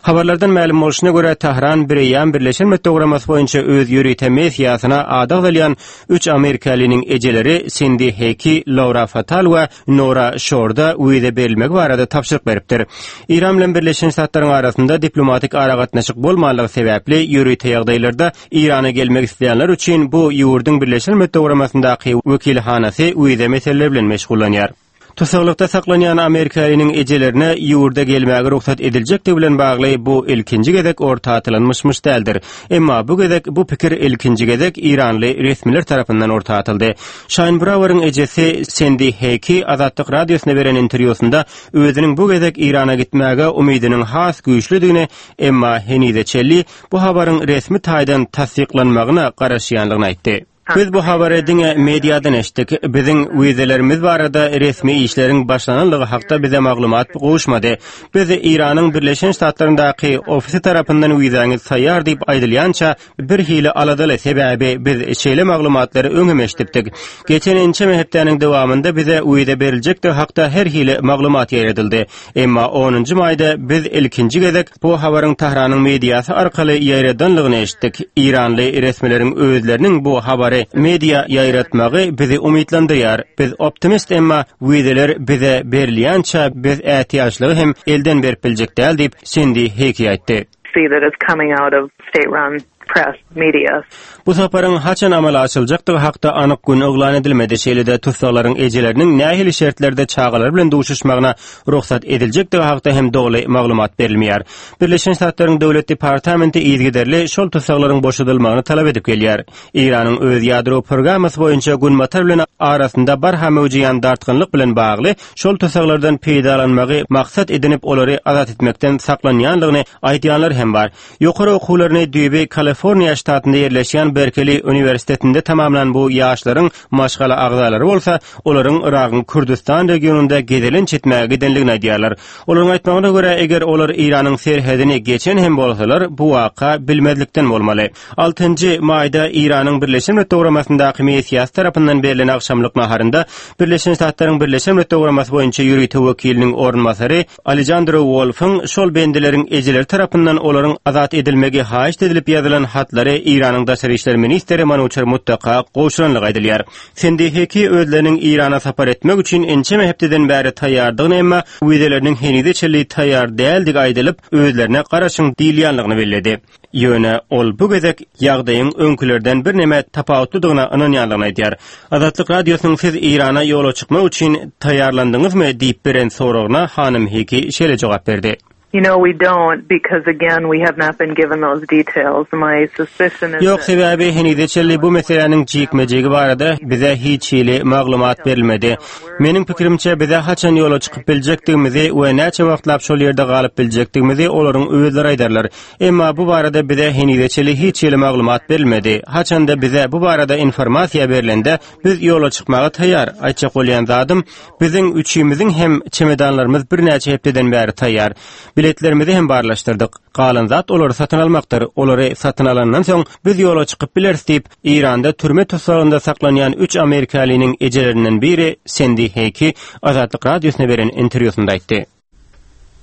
S16: Habarlardan mälim bolşuna görä Tahran bireýän Birleşen Milletler Guramasy boýunça öz ýörite messiýasyna adag alýan üç amerikalynyň ejeleri Sindi Heki, Laura Fatal we Nora Şorda wiza berilmegi barada tabşyryk beripdir. Eýran bilen Birleşen Ştatlaryň arasynda diplomatik aragatnaşyk bolmanlygy sebäpli ýörite ýagdaýlarda Eýrana gelmek isleýänler üçin bu ýurduň Birleşen Milletler Guramasyndaky wekilhanasy wiza meseleleri bilen meşgullanýar. Tusaglykda saklanýan Amerikalynyň ejelerine ýurda gelmäge rugsat ediljekdigi bilen bagly bu ilkinji gezek orta atylan myş-myş däldir. Emma bu gezek bu pikir ilkinji gezek Eýranly resmiler tarapyndan orta atyldy. Şaýn Braweriň ejesi Sendi Heki Azatlyk radiosyna beren interwýusynda özüniň bu gezek Eýrana gitmäge umydynyň has güýçlüdigini, emma henize çenli bu habaryň resmi taýdan tassyklanmagyna garaşýanlygyny aýtdy. Biz bu habary diňe mediadan eşitdik. Biziň wizalarymyz barada resmi işleriň başlananlygy hakda bize maglumat gowuşmady. Biz Eýranyň Birleşen Ştatlaryndaky ofisi tarapyndan wizaňyz taýýar diýip aýdylýança bir hili aladaly, sebäbi biz şeýle maglumatlary öň hem eşidipdik. Geçen ençeme hepdäniň dowamynda bize wiza beriljekdigi hakda her hili maglumat ýaýradyldy. Emma onunjy maýda biz ilkinji gezek bu habaryň Tahranyň mediasy arkaly ýaýradanlygyny eşitdik. Eýranly resmileriň özleriniň bu habary media ýaýratmagy bizi umytlandyrýar. Biz optimist, emma wizalar bize berilýänçä biz ätiýaçlygy hem elden berip biljek däl diýip Sendi Heki aýtdy.
S18: See that it's coming out of state-run press media.
S16: Bu saparyň haçan amala aşyryljakdygy hakda anyk gün yglan edilmedi. Şeýle-de tussaglaryň ejeleriniň nähili şertlerde çagalar bilen duşuşmagyna rugsat ediljekdigi hakda hem doly maglumat berilmeýär. Birleşen Ştatlaryň Döwlet departamenti yzygiderli şol tussaglaryň boşadylmagyny talap edip gelýär. Eýranyň öz ýadro programmasy boýunça Günbatar bilen arasynda barha möwjeýän dartgynlyk bilen bagly şol tussaglardan peýdalanmagy maksat edinip olary azat etmekden saklanýanlygyny aýdýanlar hem bar. Ýokary okuwlaryny düýbi Kaliforniýa ştatynda ýerleşýän Berkeli uniwersitetinde tamamlan bu ýaşlaryň maşgala agzalary bolsa olaryň Yragyň Kürdistan regionynda gezelenç etmäge gidenligini aýdýarlar. Olaryň aýtmagyna görä, eger olar Eýranyň serhedini geçen hem bolsalar, bu waka bilmezlikden bolmaly. Altynjy maýda Eýranyň Birleşen Milletler Guramasyndaky messiýasy tarapyndan berlen agşamlyk naharynda Birleşen Ştatlaryň Birleşen Milletler Guramasy boýunça ýörite wekiliniň orunbasary Alejandro Wolfyň şol bendileriň ejeleri tarapyndan olaryň azat edilmegi haýyşt edilip ýazylan hatlary Eýranyň daşary işler ministri Manuçer Muttaka gowşuranlygy aýdylýar. Sendi Heki özleriniň Eýrana sapar etmek üçin ençeme hepdeden bäri taýýardygyny, emma wizalarының henize çenli taýýar däldigi aýdylyp, özlerine garaşyň diýilýänligini belledi. Ýöne ol bu gezek ýagdaýyň öňkülerden bir neme tapawutlydygyna ynanýanlygyny aýdýar. Azatlyk radiosynyň siz Eýrana ýola çykmak üçin taýýarlandyňyzmy diýip beren soragyna hanym Heki şeýle jogap berdi.
S18: You know, we don't, because again, we have not been given those details. My suspicion is
S16: Ýok, sebäbi henize çenli bu meseläniň jikme-jigi barada bize hiç hili maglumat berilmedi. Meniň pikirimçe bize haçan ýola çykyp biljekdigimizi we näçe wagtlap şol ýerde galyp biljekdigimizi olaryň özleri aýdarlar. Emma bu barada bize henize çenli hiç hili maglumat berilmedi. Haçanda bize bu barada informasiýa berilende biz ýola çykmaga taýýar. Aýtjak bolýan zadym, biziň üçimiziň hem çemedanlarymyz birnäçe hepdeden bäri taýýar. Biletlerimizi hem barlaşdyrdyk. Galan zat olary satyn almakdyr. Olary satyn alandan soň biz ýola çykyp bileris diýip, Eýranda türme tussagynda saklanýan üç amerikalynyň ejelerinden biri Sendi Heki Azatlyk radiosyna beren interwýusynda aýtdy.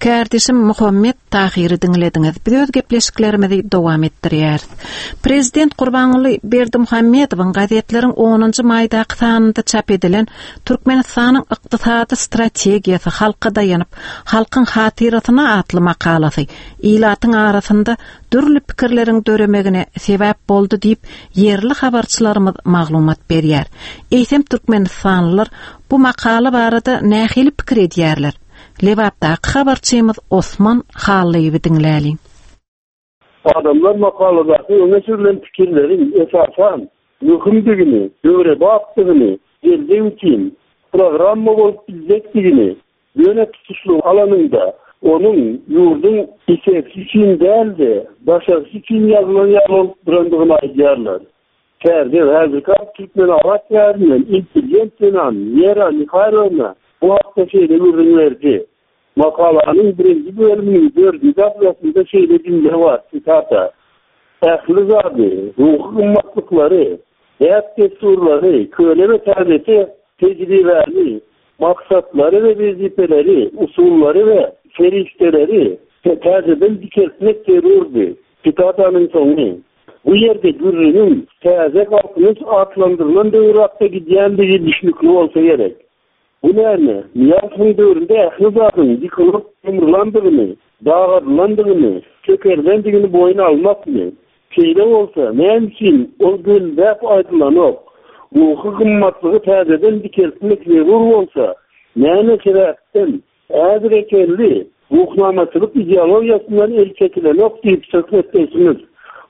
S1: Kärdeşim Muhammet Tahyry diňlediňiz. Biz öz gepleşiklerimizi dowam etdirýäris. Prezident Gurbanguly Berdimuhamedowyň gazetleriň onunjy maýdaky sanynda çap edilen Türkmenistanyň ykdysady strategiýasy halka daýanyp, halkyň hatyrasyna atly makalasy ilatyň arasynda dürli pikirleriň döremegine sebäp boldy diýip, ýerli habarçylarymyz maglumat berýär. Eýsem türkmenistanlylar bu makala barada nähili pikir edýärler? Lebapdaky habarçymyz Osman Hallyýewi diňläliň.
S6: Adamlar makaladaky öňe sürülen pikirleriň esasan möhümdigini, döwrebapdygyny, geljek üçin programma bolup biljekdigini, ýöne tutuşlygy alanynda onuň ýurduň içerisi üçin däl-de, daşarysy üçin ýazylan ýaly bolup durandygyny aýdýarlar. Täze häzirki Türkmenabat şäherinden intelligent zenan Wera Mihaýlowna bu hakda şeýle gürrüň berdi. Makalanyň birinji bölüminiň dördünji abzasynda şeýle jümle bar, sitata: Ähli zady, ruhy gymmatlyklary, däp-dessurlary, köne we täzeçe tejribäni, maksatlary we wezipeleri, usullary we serişdeleri täzeden dikeltmek zerurdy. Sitatanyň soňy. Bu ýerde gürrüňiň täze Galkynyş atlandyrylan döwür hakda gidýändigi düşnükli bolsa gerek. Bu näme? Nyýazowyň döwründe ähli zadyň ýykylyp ýumrulandygyny, dagadylandygyny, çökerilendigini boýun almakmy? Şeýle bolsa, näme üçin ol gönüläp aýdylanok? Ruhy gymmatlygy täzeden dikeltmek zerur bolsa, näme sebäpden häzire çenli ruhnamaçylyk ideologiýasyndan el çekilenok diýip söhbetdeşimiz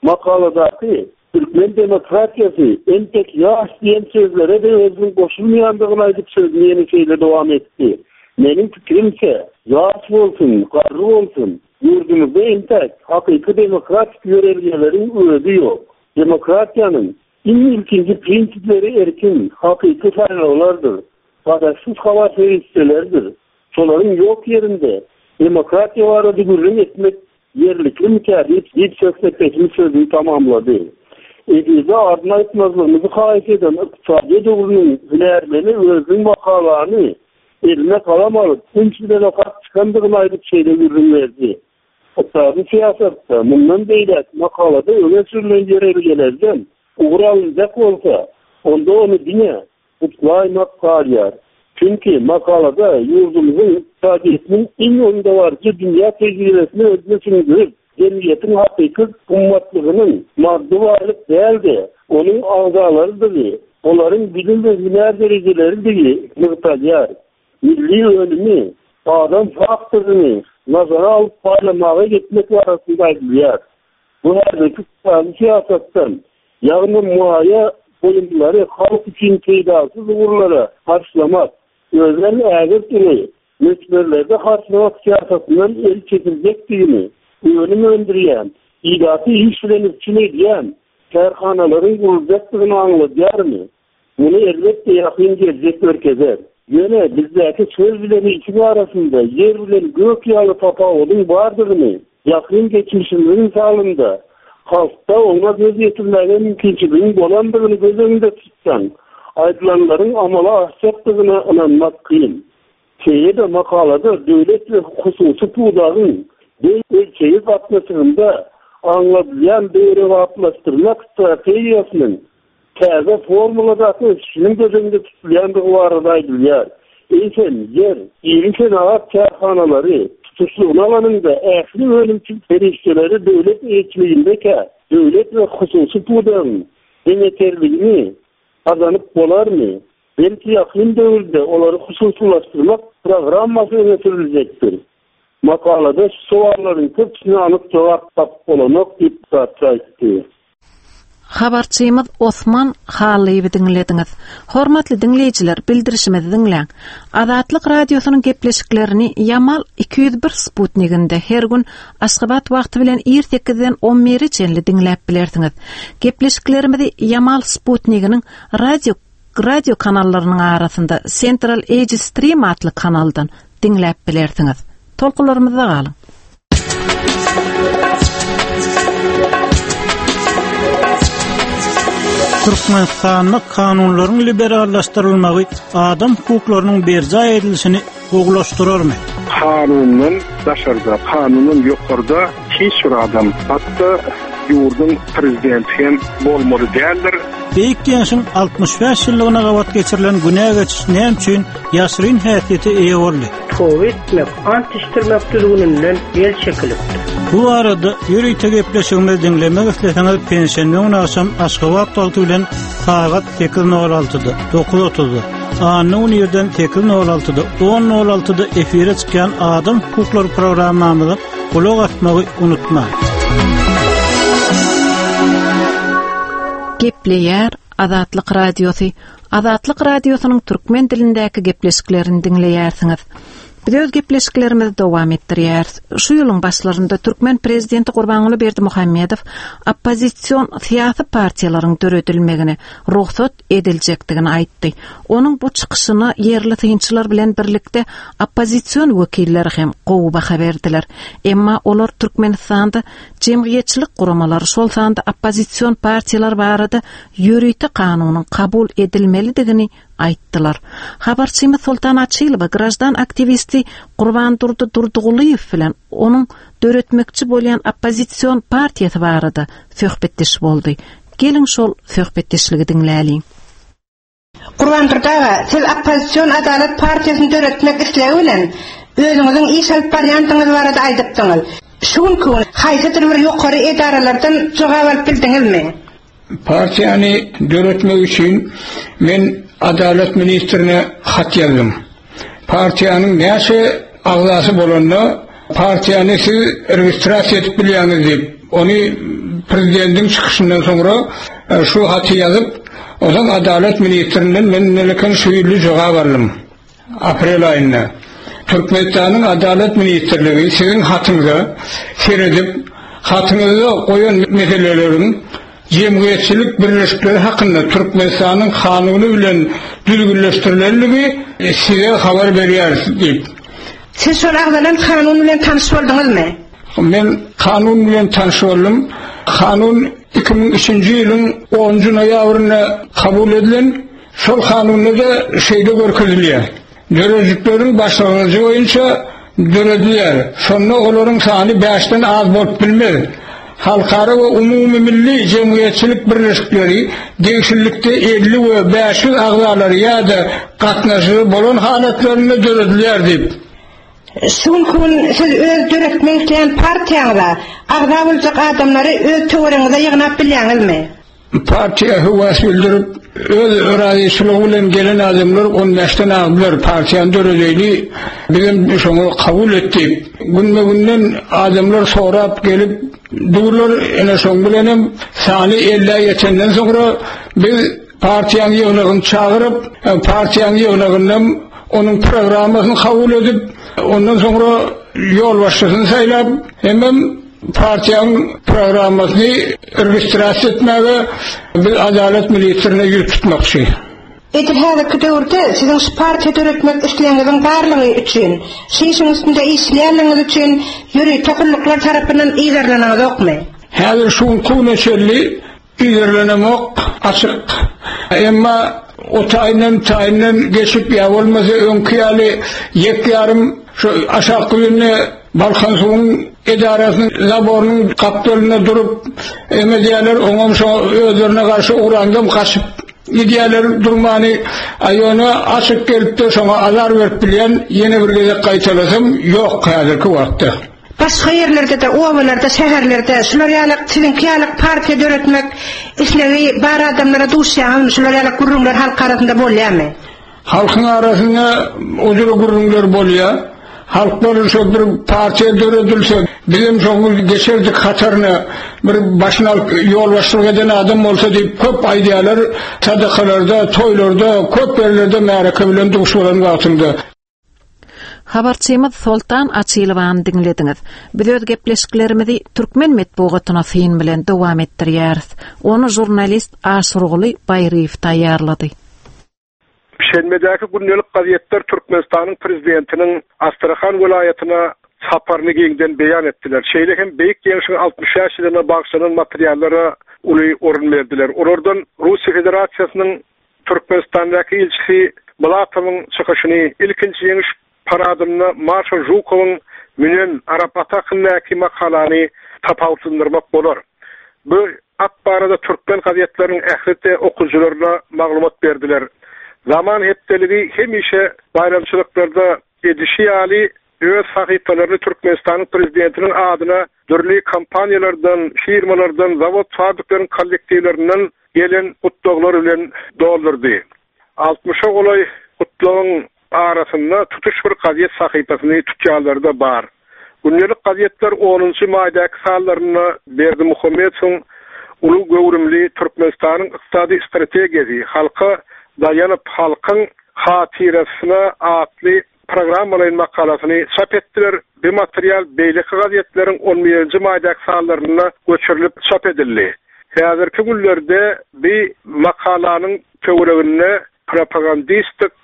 S6: makaladaky Türkmen demokratiýasy entek ýaş diýen sözlere-de özüniň goşulmaýandygyny aýdyp sözüni ýene şeýle dowam etdi. Meniň pikirimçe, ýaş bolsun, garry bolsun, ýurdumyzda entek hakyky demokratik ýörelgeleriň özi ýok. Demokratiýanyň iň ilkinji prinsipleri erkin, hakyky saýlawlardyr, garaşsyz habar serişdeleridir. Şolaryň ýok ýerinde demokratiýa barada gürrüň etmek ýerliklimikä diýip, diýip söhbetdeşimiz sözüni tamamlady. Efirde adyny aýtmazlygymyzy haýyş eden ykdysadyýet ugrunyň hünärmeni özüniň makalany eline galam alyp, üns bilen okap çykandygyny aýdyp şeýle gürrüň berdi. Ykdysady syýasatda mundan beýläk makalada öňe sürülen ýörelgelerden ugur alynjak bolsa, onda ony diňe gutlaýmak galýar. Çünki makalada ýurdumyzyň ykdysadyýetiniň iň öňdebaryjy dünýä tejribesini özüne siňdirip, jemgyýetiň hakyky gymmatlygynyň maddy baýlyk däl-de, onuň agzalarydygy, olaryň bilim we hünär derejeleridigini nygtalýar. Milli önümi, adam faktoryny nazara alyp paýlamaga gitmek barasynda aýdylýar. Bu häzirki ykdysady syýasatdan, ýagny maýa goýumlary halk üçin peýdasyz ugurlara harçlamak, özem ägirt uly möçberlerde harçlamak syýasatyndan el çekiljekdigini, önüm öndürýän, ilaty iş bilen üpjün edýän kärhanalaryň guruljakdygyny aňladýarmy? Muny elbetde ýakyn geljek görkezer. Ýöne bizdäki söz bilen işiň arasynda ýer bilen gök ýaly tapawudyň bardygyny ýakyn geçmişimiziň mysalynda halkda oňa göz ýetirmäge mümkinçiligiň bolandygyny göz öňünde tutsaň, aýdylanlaryň amala aşjakdygyna ynanmak kyn. Şeýle-de makalada döwlet we hususy pudagyň deň ölçegi gatnaşygynda aňladylýan döwrebaplaşdyrmak strategiýasynyň täze formuladaky ösüşiniň göz öňünde tutulýandygy barada aýdylýar. Eýsem, ýer, iri senagat kärhanalary tutuşlygyna alanynda ähli önümçilik serişdeleri döwlet eýeçiligindekä, döwlet we hususy pudagyň deňeçerligini gazanyp bolarmy? Belki ýakyn döwürde olary hususylaşdyrmak programmasy öňe sürüljekdir. Makalada şu sowallaryň köpüsine anyk jogap tapyp bolanok diýip Zatçy aýtdy.
S1: Habarçymyz Osman Hallyýewi diňlediňiz. Hormatly diňleýjiler, bildirişimizi diňläň. Azatlyk radiosynyň gepleşiklerini Ýamal iki ýüz bir sputniginde her gün Aşgabat wagty bilen ir sekizden on bire çenli diňläp bilersiňiz. Gepleşiklerimizi Ýamal sputniginiň radio, radio kanallarynyň arasynda Central Asia Stream atly kanaldan diňläp bilersiňiz. Tolkunlarymyzda galyň.
S22: Türkmenistanda kanunlaryň liberallaşdyrylmagy adam hukuklarynyň berjaý edilişini gowulaşdyrarmy?
S6: Kanundan daşarda, kanundan ýokarda hiç bir adam, hatda ýurduň prezidenti hem bolmaly däldir.
S7: Beýik Ýeňşiň altmyş bäş ýyllygyna gabat geçirilen günä geçiş näme üçin ýaşyryn häsiýete eýe boldy?
S22: Toba etmek, ant içdirmek düzgüninden el çekilipdir.
S7: Bu arada ýörite gepleşigimizi diňlemek isleseňiz penşenbe güni agşam Aşgabat wagty bilen sagat sekiz nol altyda, dokuz otuzda, anna güni irden sekiz nol altyda, on nol altyda efire çykýan Adam hukuklary programmamyza gulak asmagy unutmaň.
S1: Gepleýär Azatlyk Radiosy. Azatlyk Radiosynyň türkmen dilindäki gepleşiklerini diňleýärsiňiz. Biz öz gepleşiklerimizi dowam etdirýäris. Şu ýylyň başlarynda türkmen prezidenti Gurbanguly Berdimuhamedow oppozision syýasy partiýalaryň döredilmegine rugsat ediljekdigini aýtdy. Onuň bu çykyşyna ýerli synçylar bilen birlikde oppozision wekilleri hem gowy baha berdiler. Emma olar Türkmenistanda jemgyýetçilik guramalary, şol sanda oppozision partiýalar barada ýörite kanunyň kabul edilmelidigini aýtdylar. Habarçymyz Soltan Açylowa grajdan aktiwisti Gurbandurdy Durdygulyýew bilen onuň döretmekçi bolýan oppozision partiýasy barada söhbetdeş boldy. Geliň şol söhbetdeşligi diňläliň.
S8: Gurbandurdy aga, siz oppozision Adalat partiýasyny döretmek islegi bilen özüňiziň iş alyp barýandygyňyz barada aýdypdyňyz. Şu günki gün haýsydyr bir ýokary edaralardan jogap alyp bildiňizmi?
S19: Partiýany döretmek üçin men Adalat ministrine hat ýazdym. Partiýanyň näçe agzasy bolanda partiýany siz registrasiýa edip bilýäňiz diýip, ony prezidentiň çykyşyndan soňra, e, şu haty ýazyp, ondan Adalat ministrinden men neleken şu ýyly jogap aldym. Aprel aýynda. Türkmenistanyň Adalat ministrligi siziň hatyňyza seredip, hatyňyzda goýan meseleleriň jemgyýetçilik birleşikleri hakynda Türkmenistanyň kanuny bilen düzgünleşdirilenligi size habar berýäris diýip.
S8: Siz şol agzalan kanun bilen tanyş bolduňyzmy?
S19: Men kanun bilen tanyş boldum. Kanun iki müň üçünji ýylyň onunjy noýabrynda kabul edilen, şol kanunda da şeýle görkezilýär. Döredijikleriň başlangyjy boýunça döredilýär. Şonda olaryň sany bäşden az bolup bilmez. Halkara we umumy milli jemgyýetçilik birleşikleri degişlilikde elli we bäş ýüz agzalary ýa-da gatnaşygy bolan halatlarynda döredilýär diýip.
S8: Şu günki gün siz öz döretmek isleýän partiýaňyza agza boljak adamlary öz töweregiňize ýygnap bilýäňizmi?
S19: Partiýa höwes bildirip, öz razyçylygy bilen gelen adamlar on bäşden agdylar, partiýany döredeli, bizem şoňa kabul etdik. Günbe-günden adamlar sorap gelip durlar, ene şoň bilenem sany ellä ýetenden soňra biz partiýanyň ýygnagyny çagyryp, partiýanyň ýygnagyndan onuň programmasyny kabul edip, ondan soňra ýolbaşçysyny saýlap, hemem partiýanyň programmasyny registrasiýa etmäge biz Adalat ministrine ýüz tutmakçy.
S8: Edil häzirki döwürde siziň şu partiýa döretmek isleýäňiziň barlygy üçin, şu işiň üstünde işleýänligiňiz üçin ýörite gulluklar tarapyndan yzarlanaňyzokmy?
S19: Häzir şu güne çenli yzarlanamok, açyk. Emma o taýyndan taýyndan geçip ýa bolmasa öňki ýaly ýek ýarym şu aşak güýünde Balkan suwuň edarasynyň zaborynyň gapdalynda durup emedýärler, oňam şo özlerine garşy ugrandam gaçyp gidýärler durmany. Aýona açyk gelip-de şoňa azar berip bilýän ýene bir gezek gaýtalasam ýok häzirki wagtda.
S8: Başga ýerlerde-de, obalarda, şäherlerde şular ýaly siziňki ýaly partiýa döretmek islegi bar adamlara duşýaňyzmy? Şular ýaly gürrüňler halk arasynda bolýarmy?
S19: Halkyň arasynda o jüre gürrüňler bolýar. Halklar şo bir partiýa döredilse, bizem şoňa geçerdik hataryna bir başyny alyp ýolbaşçylyk eden adam bolsa diýip köp aýdýarlar. Sadakalarda, toýlarda, köp ýerlerde märeke bilen duş bolan wagtynda.
S1: Habarçymyz Soltan Açylowany diňlediňiz. Biz öz gepleşiklerimizi türkmen metbugatyna syn bilen dowam etdirýäris. Ony jurnalist Aşurguly Baýryýew taýýarlady.
S6: Şenbedäki gündelik gazetler Türkmenistanyň prezidentiniň Astrahan welaýatyna saparyny giňden beýan etdiler. Şeýle hem Beýik Ýeňşiň altmyş bäş ýylyna bagyşlanan materiallara uly orun berdiler. Olardan Russiýa Federasiýasynyň Türkmenistandaky ilçisi Bulatowyň çykyşyny ilkinji ýeňiş paradynda Marşal Žukowyň münen arap aty hakyndaky makalany tapawutlandyrmak bolar. Bu at barada türkmen gazetleriniň ählisi okyjylaryna maglumat berdiler. Zaman hepdeligi hemişe baýramçylyklarda edişi ýaly öz sahypalaryny Türkmenistanyň prezidentiniň adyna dürli kompaniýalardan, firmalardan, zawod fabrikleriň kollektiwlerinden gelen gutlaglar bilen doldurdy. Altmyşa golaý gutlagyň arasynda tutuş bir gazet sahypasyny tutýanlar da bar. Gündelik gazetler onunjy maýdaky sanlarynda Berdimuhamedowyň uly göwrümli Türkmenistanyň ykdysady strategiýasy halka daýanyp halkyň hatyrasyna atly programmalaýyn makalasyny çap etdiler. Bu material beýleki gazetleriň on birinji maýdaky sanlarynda göçürilip çap edildi. Häzirki günlerde bir makalanyň töwereginde propagandistik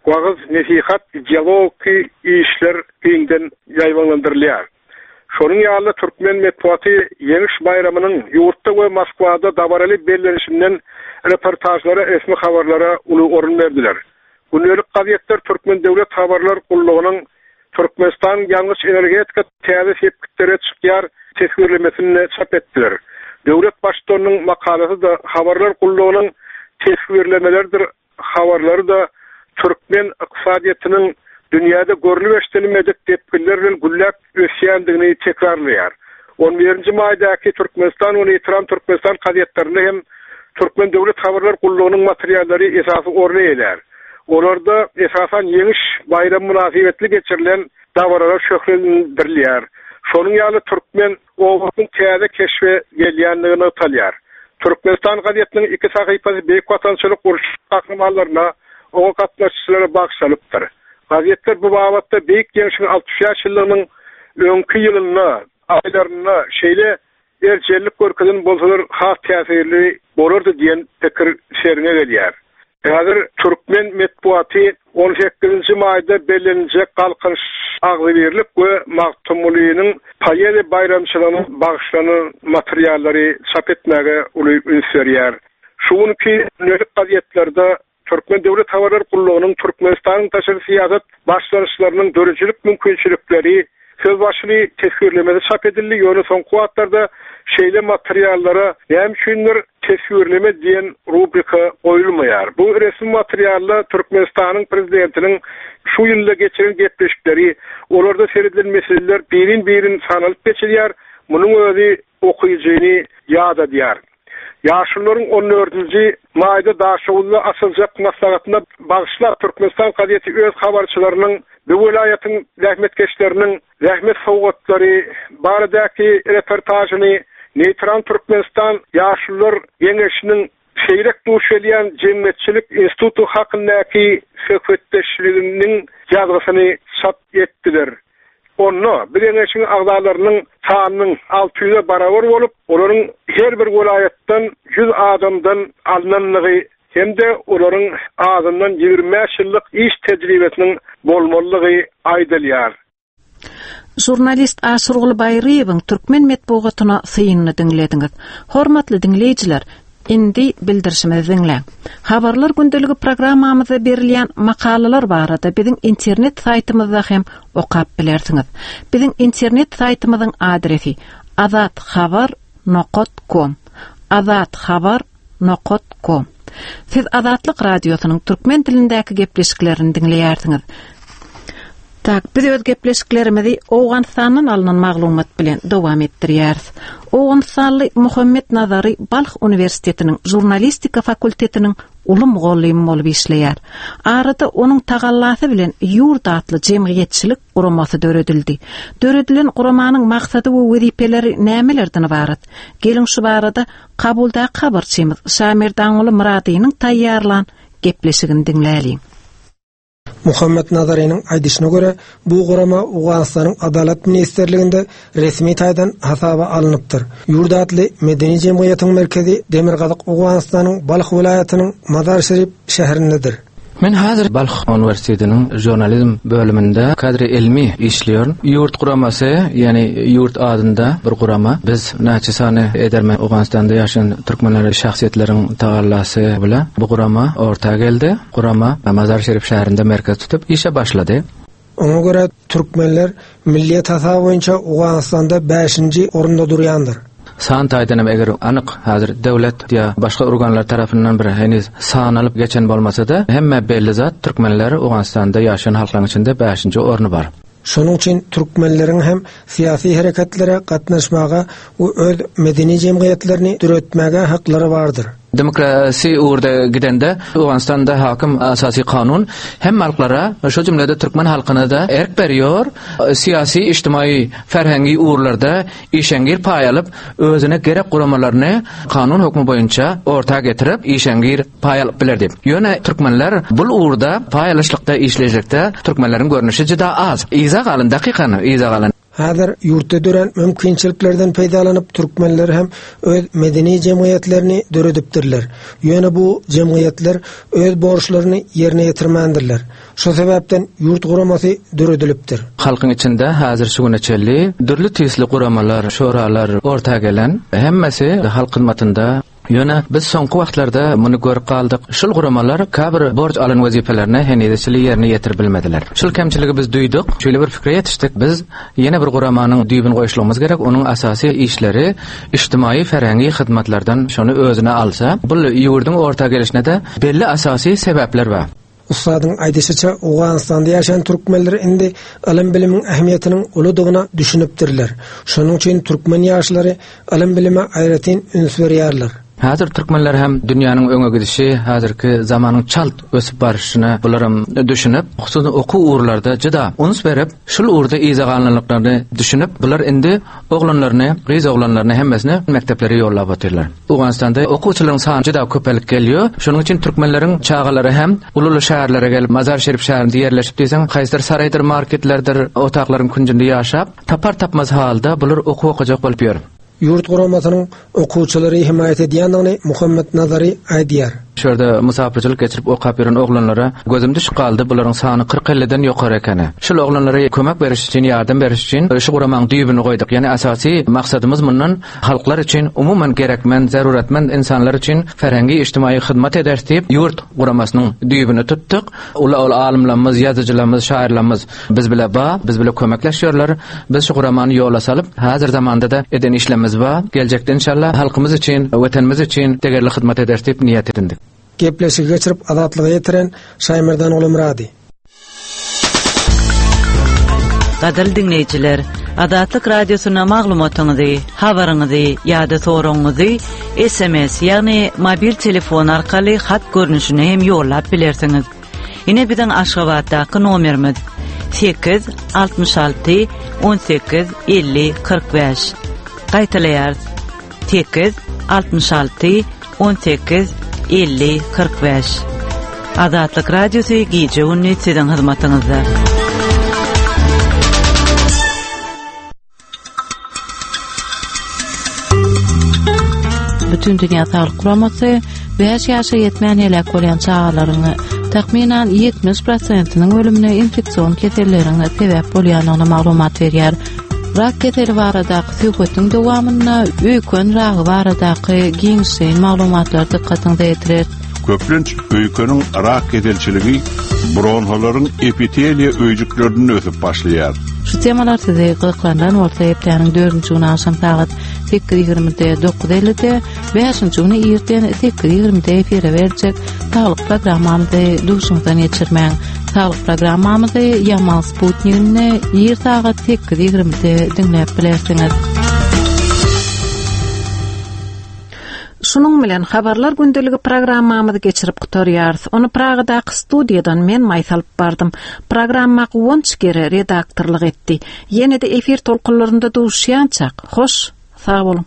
S6: wagyz nesihat ideologiki işler giňden ýaýbaňlandyrylýar. Şonuň ýaly türkmen metbugaty Ýeňiş baýramynyň ýurtda we Moskwada dabaraly bellenişinden reportajlara, resmi habarlara uly orun berdiler. Gündelik gazetler Türkmen Döwlet Habarlar Gullugynyň Türkmenistan ýangyç energetika täze sepgitlere çykýar teswirlemesini çap etdiler. Döwlet baştutanynyň makalasy da habarlar gullugynyň teswirlemeleridir, habarlary da türkmen ykdysadyýetiniň dünýäde görlüp eşidilmedik depginler bilen gülläp ösýändigini tekrarlaýar. on birinji maýdaky Türkmenistan we Neýtral Türkmenistan gazetlerinde hem Türkmen Döwlet Habarlar Gullugynyň materiallary esasy orun eýelär. Olarda esasan Ýeňiş baýramy mynasybetli geçirilen dabaralar şöhlendirilýär. Şonuň ýaly türkmen obasynyň täze keşbe gelýändigini nygtalýar. Türkmenistan gazetiniň iki sahypasy Beýik Watançylyk uruş gahrymanlaryna, oňa gatnaşyjylara bagyşlanypdyr. Gazetler bu babatda Beýik Ýeňşiň altmyş bäş ýyllygynyň öňki ýylynda, aýlarynda şeýle erjellik görkezen bolsalar has täsirli bolardy diýen pikir seriňe gelýär. Häzir türkmen metbugaty on sekizinji maýda belleniljek Galkynyş agzybirlik we Magtymgulynyň poeziýa baýramçylygyna bagyşlanan materiallary çap etmäge uly üns berýär. Şu günki gündelik gazetlerde Türkmen Döwlet Habarlar Gullugynyň Türkmenistanyň daşary syýasat başlangyçlarynyň döredijilik mümkinçilikleri söz başyny teswirlemesi çap edildi. Ýöne soňky wagtlarda şeýle materiallara näme üçindir teswirleme diýen rubrika goýulmaýar. Bu resmi materialda Türkmenistanyň prezidentiniň şu ýylda geçiren gepleşikleri, olarda seredilen meseleler birin-birin sanalyp geçilýär. Munuň özi okyjyny ýadadýar. Ýaşulularyň on dördünji maýda Daşoguzda açyljak maslahatyna bagyşlap Türkmenistan gazeti öz habarçylarynyň bu welaýatyň zähmetkeşleriniň zähmet sowgatlary baradaky reportajyny Neýtral Türkmenistan Ýaşulular Geňeşiniň seýrek duş gelýän jemgyýetçilik instituty hakyndaky söhbetdeşliginiň ýazgysyny çap etdiler. Onda bu geňeşiň agzalarynyň sanynyň alty ýüze barabar bolup, olaryň her bir welaýatdan ýüz adamdan alynanlygy hem-de olaryň azyndan ýigrimi bäş ýyllyk iş tejribesiniň bolmalygy aýdylýar.
S1: Žurnalist Aşyrguly Baýryýewiň türkmen metbugatyna synyny diňlediňiz. Hormatly diňleýjiler, indi bildirişimizi diňläň. Habarlar gündeligi programmamyzda berilýän makalalar barada biziň internet saýtymyzda hem okap bilersiňiz. Biziň internet saýtymyzyň adresi azat habar nokta com. azat habar nokta com. Siz Azatlyk radiosynyň türkmen dilindäki gepleşiklerini diňleýärsiňiz. Tak, biz öz gepleşiklerimizi Owganystandan alynan maglumat bilen dowam etdirýäris. Owganystanly Muhammet Nazary Balh Uniwersitetiniň žurnalistika fakultetiniň uly mugallymy bolup işleýär. Arada onuň tagallasy bilen Ýurt atly jemgyýetçilik guramasy döredildi. Döredilen guramanyň maksady we wezipeleri nämelerden ibarat? Geliň şu barada Kabuldaky habarçymyz Şamirdanguly Myradynyň taýýarlan gepleşigini diňläliň.
S4: Muhammet Nazarynyň aýdyşyna görä, bu gurama Owganystanyň Adalat Ministrliginde resmi taýdan hasaba alnypdyr. Ýurt atly medeni jemgyýetiň merkezi Demirgazyk Owganystanyň Balh welaýatynyň Mazar-Şerif şäherindedir.
S5: Men häzir Balh Uniwersitetiniň žurnalizm bölüminde kadr ilmi işliyorum. Ýurt guramasy, ýani ýurt adynda bir gurama. Biz näçe sany edermen Owganystanda ýaşaýan türkmenler şahsyýetleriň tagallasy bilen bu gurama orta geldi. Gurama Mazar-Şerif şäherinde merkez tutup işe başlady.
S4: Oňa görä türkmenler milliýet hasaby boýunça Owganystanda bäşinji orunda durýandyr.
S5: San taýdanam eger anyk häzir döwlet ýa başga organlar tarapyndan bir heniz sanalyp geçen bolmasa-da, hemme belli zat türkmenler Owganystanda ýaşaýan halklaryň içinde bäşinji orny bar.
S4: Şonuň üçin türkmenleriň hem syýasy hereketlere gatnaşmaga we öz medeni jemgyýetlerini döretmäge haklary bardyr.
S5: Demokrasi uğurda gidende Owganystanda hakim asasy kanun hem halklara, şu jümlede türkmen halkyna da erk berýär, syýasy, ijtimai, ferhengi uğurlarda işeňgir paý alyp, özüne gerek guramalaryny kanun hökmü boýunça orta getirip işeňgir paý alyp biler diýip. Ýöne türkmenler bul uğurda paý alyşlykda, işlejekde türkmenleriň görnüşi juda az. Iza galan dakikany, iza galan.
S4: Häzir ýurtda dören mümkinçiliklerden peýdalanyp türkmenler hem öz medeni jemgyýetlerini döredipdirler. Ýöne bu jemgyýetler öz borçlaryny ýerine ýetirmändirler. Şu sebäpden ýurt guramasy döredilipdir.
S5: Halkyň içinde häzir şu güne çenli dürli tüýsli guramalar, şoralar orta gelen, hemmesi halk hyzmatynda. Ýöne biz soňky wagtlarda muny görüp galdyk. Şul guramalar käbir borç alan wezipelerini henizçili ýerine ýetirip bilmediler. Şul kemçiligi biz duýduk, şeýle bir pikire ýetişdik. Biz ýene bir guramanyň düýbüni goýuşlygymyz gerek. Onuň asasy işleri ijtimai ferhengi hyzmatlardan şony özüne alsa, bu ýurduň orta gelişine de belli asasy sebäpler bar.
S4: Ustadyň aýdyşyça Owganystanda ýaşaýan türkmenler indi ylym bilimiň ähmiýetiniň uludygyna düşünipdirler. Şonuň üçin türkmen ýaşlary ylym bilime aýratyn üns berýärler.
S5: Häzir türkmenler hem dünýäniň öňe gidişi, häzirki zamanyň çalt ösüp barşyna bularam düşünip, hususan okuw ugurlarda juda üns berip, şul ugurda iza galanlyklaryny düşünip, bular indi oglanlaryny, gyz oglanlaryny hemmesini mekdeplere ýollap otyrlar. Owganystanda okuwçylaryň sany juda köpelik gelýär. Şonuň üçin türkmenleriň çagalary hem ululy şäherlere gelip, Mazar Şerif şäherinde ýerleşip diýseň, haýsydyr saraýdyr, marketlerdir, otaklaryň künjünde ýaşap, tapar tapmaz halda bular okuw okajak bolup ýör.
S4: Ýurt guramasynyň okuwçylary himaýat edýändigini Muhammet Nazary aýdýar.
S5: Şu ýerde musafirçilik geçirip okap ýören oglanlara gözüm düşüp galdy. Bularyň sany kyrk elliden ýokary ekeni. Şul oglanlara kömek beriş üçin, ýardam beriş üçin şu guramanyň düýbüni goýduk. Ýani asasy maksadymyz mundan halklar üçin, umuman gerekmen, zaruratmend insanlar üçin ferhengi ijtimai hyzmat ederis diýip ýurt guramasynyň düýbüni tutduk. Ula-ula alymlarymyz, ýazyjylarymyz, şairlarymyz biz bile ba, biz bile kömekleşýärler. Biz şu guramany ýola salyp, häzir zamanda da eden işlerimiz bar. Geljekde inşallah halkymyz üçin, watanymyz üçin degerli hyzmat ederis diýip niýet edindik.
S4: Gepleşigi geçirip azatlyga ýetiren Şaýmerdan Gulumyrady.
S3: Gadyrly diňleýjiler, Azatlyk Radiosyna maglumatyňyzy, habaryňyzy ýa-da soragyňyzy S M S, ýagny mobil telefon arkaly hat görnüşine hem ýollap bilersiňiz. Ine biziň Aşgabatdaky nomerimiz sekiz altmyş alty on sekiz elli kyrk bäş. Gaýtalaýarys. Sekiz altmyş alty on sekiz elli kyrk bäş. Azatlyk Radiosy gije gündüz siziň hyzmatyňyzda.
S15: Bütün Dünya Sağlık Guramasy bäş ýaşa ýetmän heläk bolýan çagalaryň takmynan ýetmiş prosentiniň ölümine infeksion keselleriň sebäp bolýandygyny maglumat berýär. Rak keseli baradaky söhbetiň dowamynda öýken ragy baradaky giňişleýin maglumatlar dykgatyňyza ýetirer.
S9: Köplenç öýkeniň rak keselçiligi bronholaryň epiteliýa öýjüklerinde ösüp başlaýar.
S15: Şu temalar sizi gyzyklandyran bolsa hepdäniň dördünji güni akşam sagat sekiz ýigrimide dokuz ellide, bäşinji güni irden sekiz ýigrimide efire berjek saglyk programmamyzy duşuňyzdan geçirmäň. Saglyk programmamyzy Yamal Sputnik'inde ir sagat sekiz ýigrimide diňläp bilersiňiz.
S1: Şunuň bilen habarlar gündeligi programmamyzy geçirip gutarýarys. Ony Pragadaky studiýadan men Maýsa alyp bardym. Programma Guwanç Gere redaktorlyk etdi. Ýene-de efir tolkunlarynda duşýançak. Hoş, sag boluň.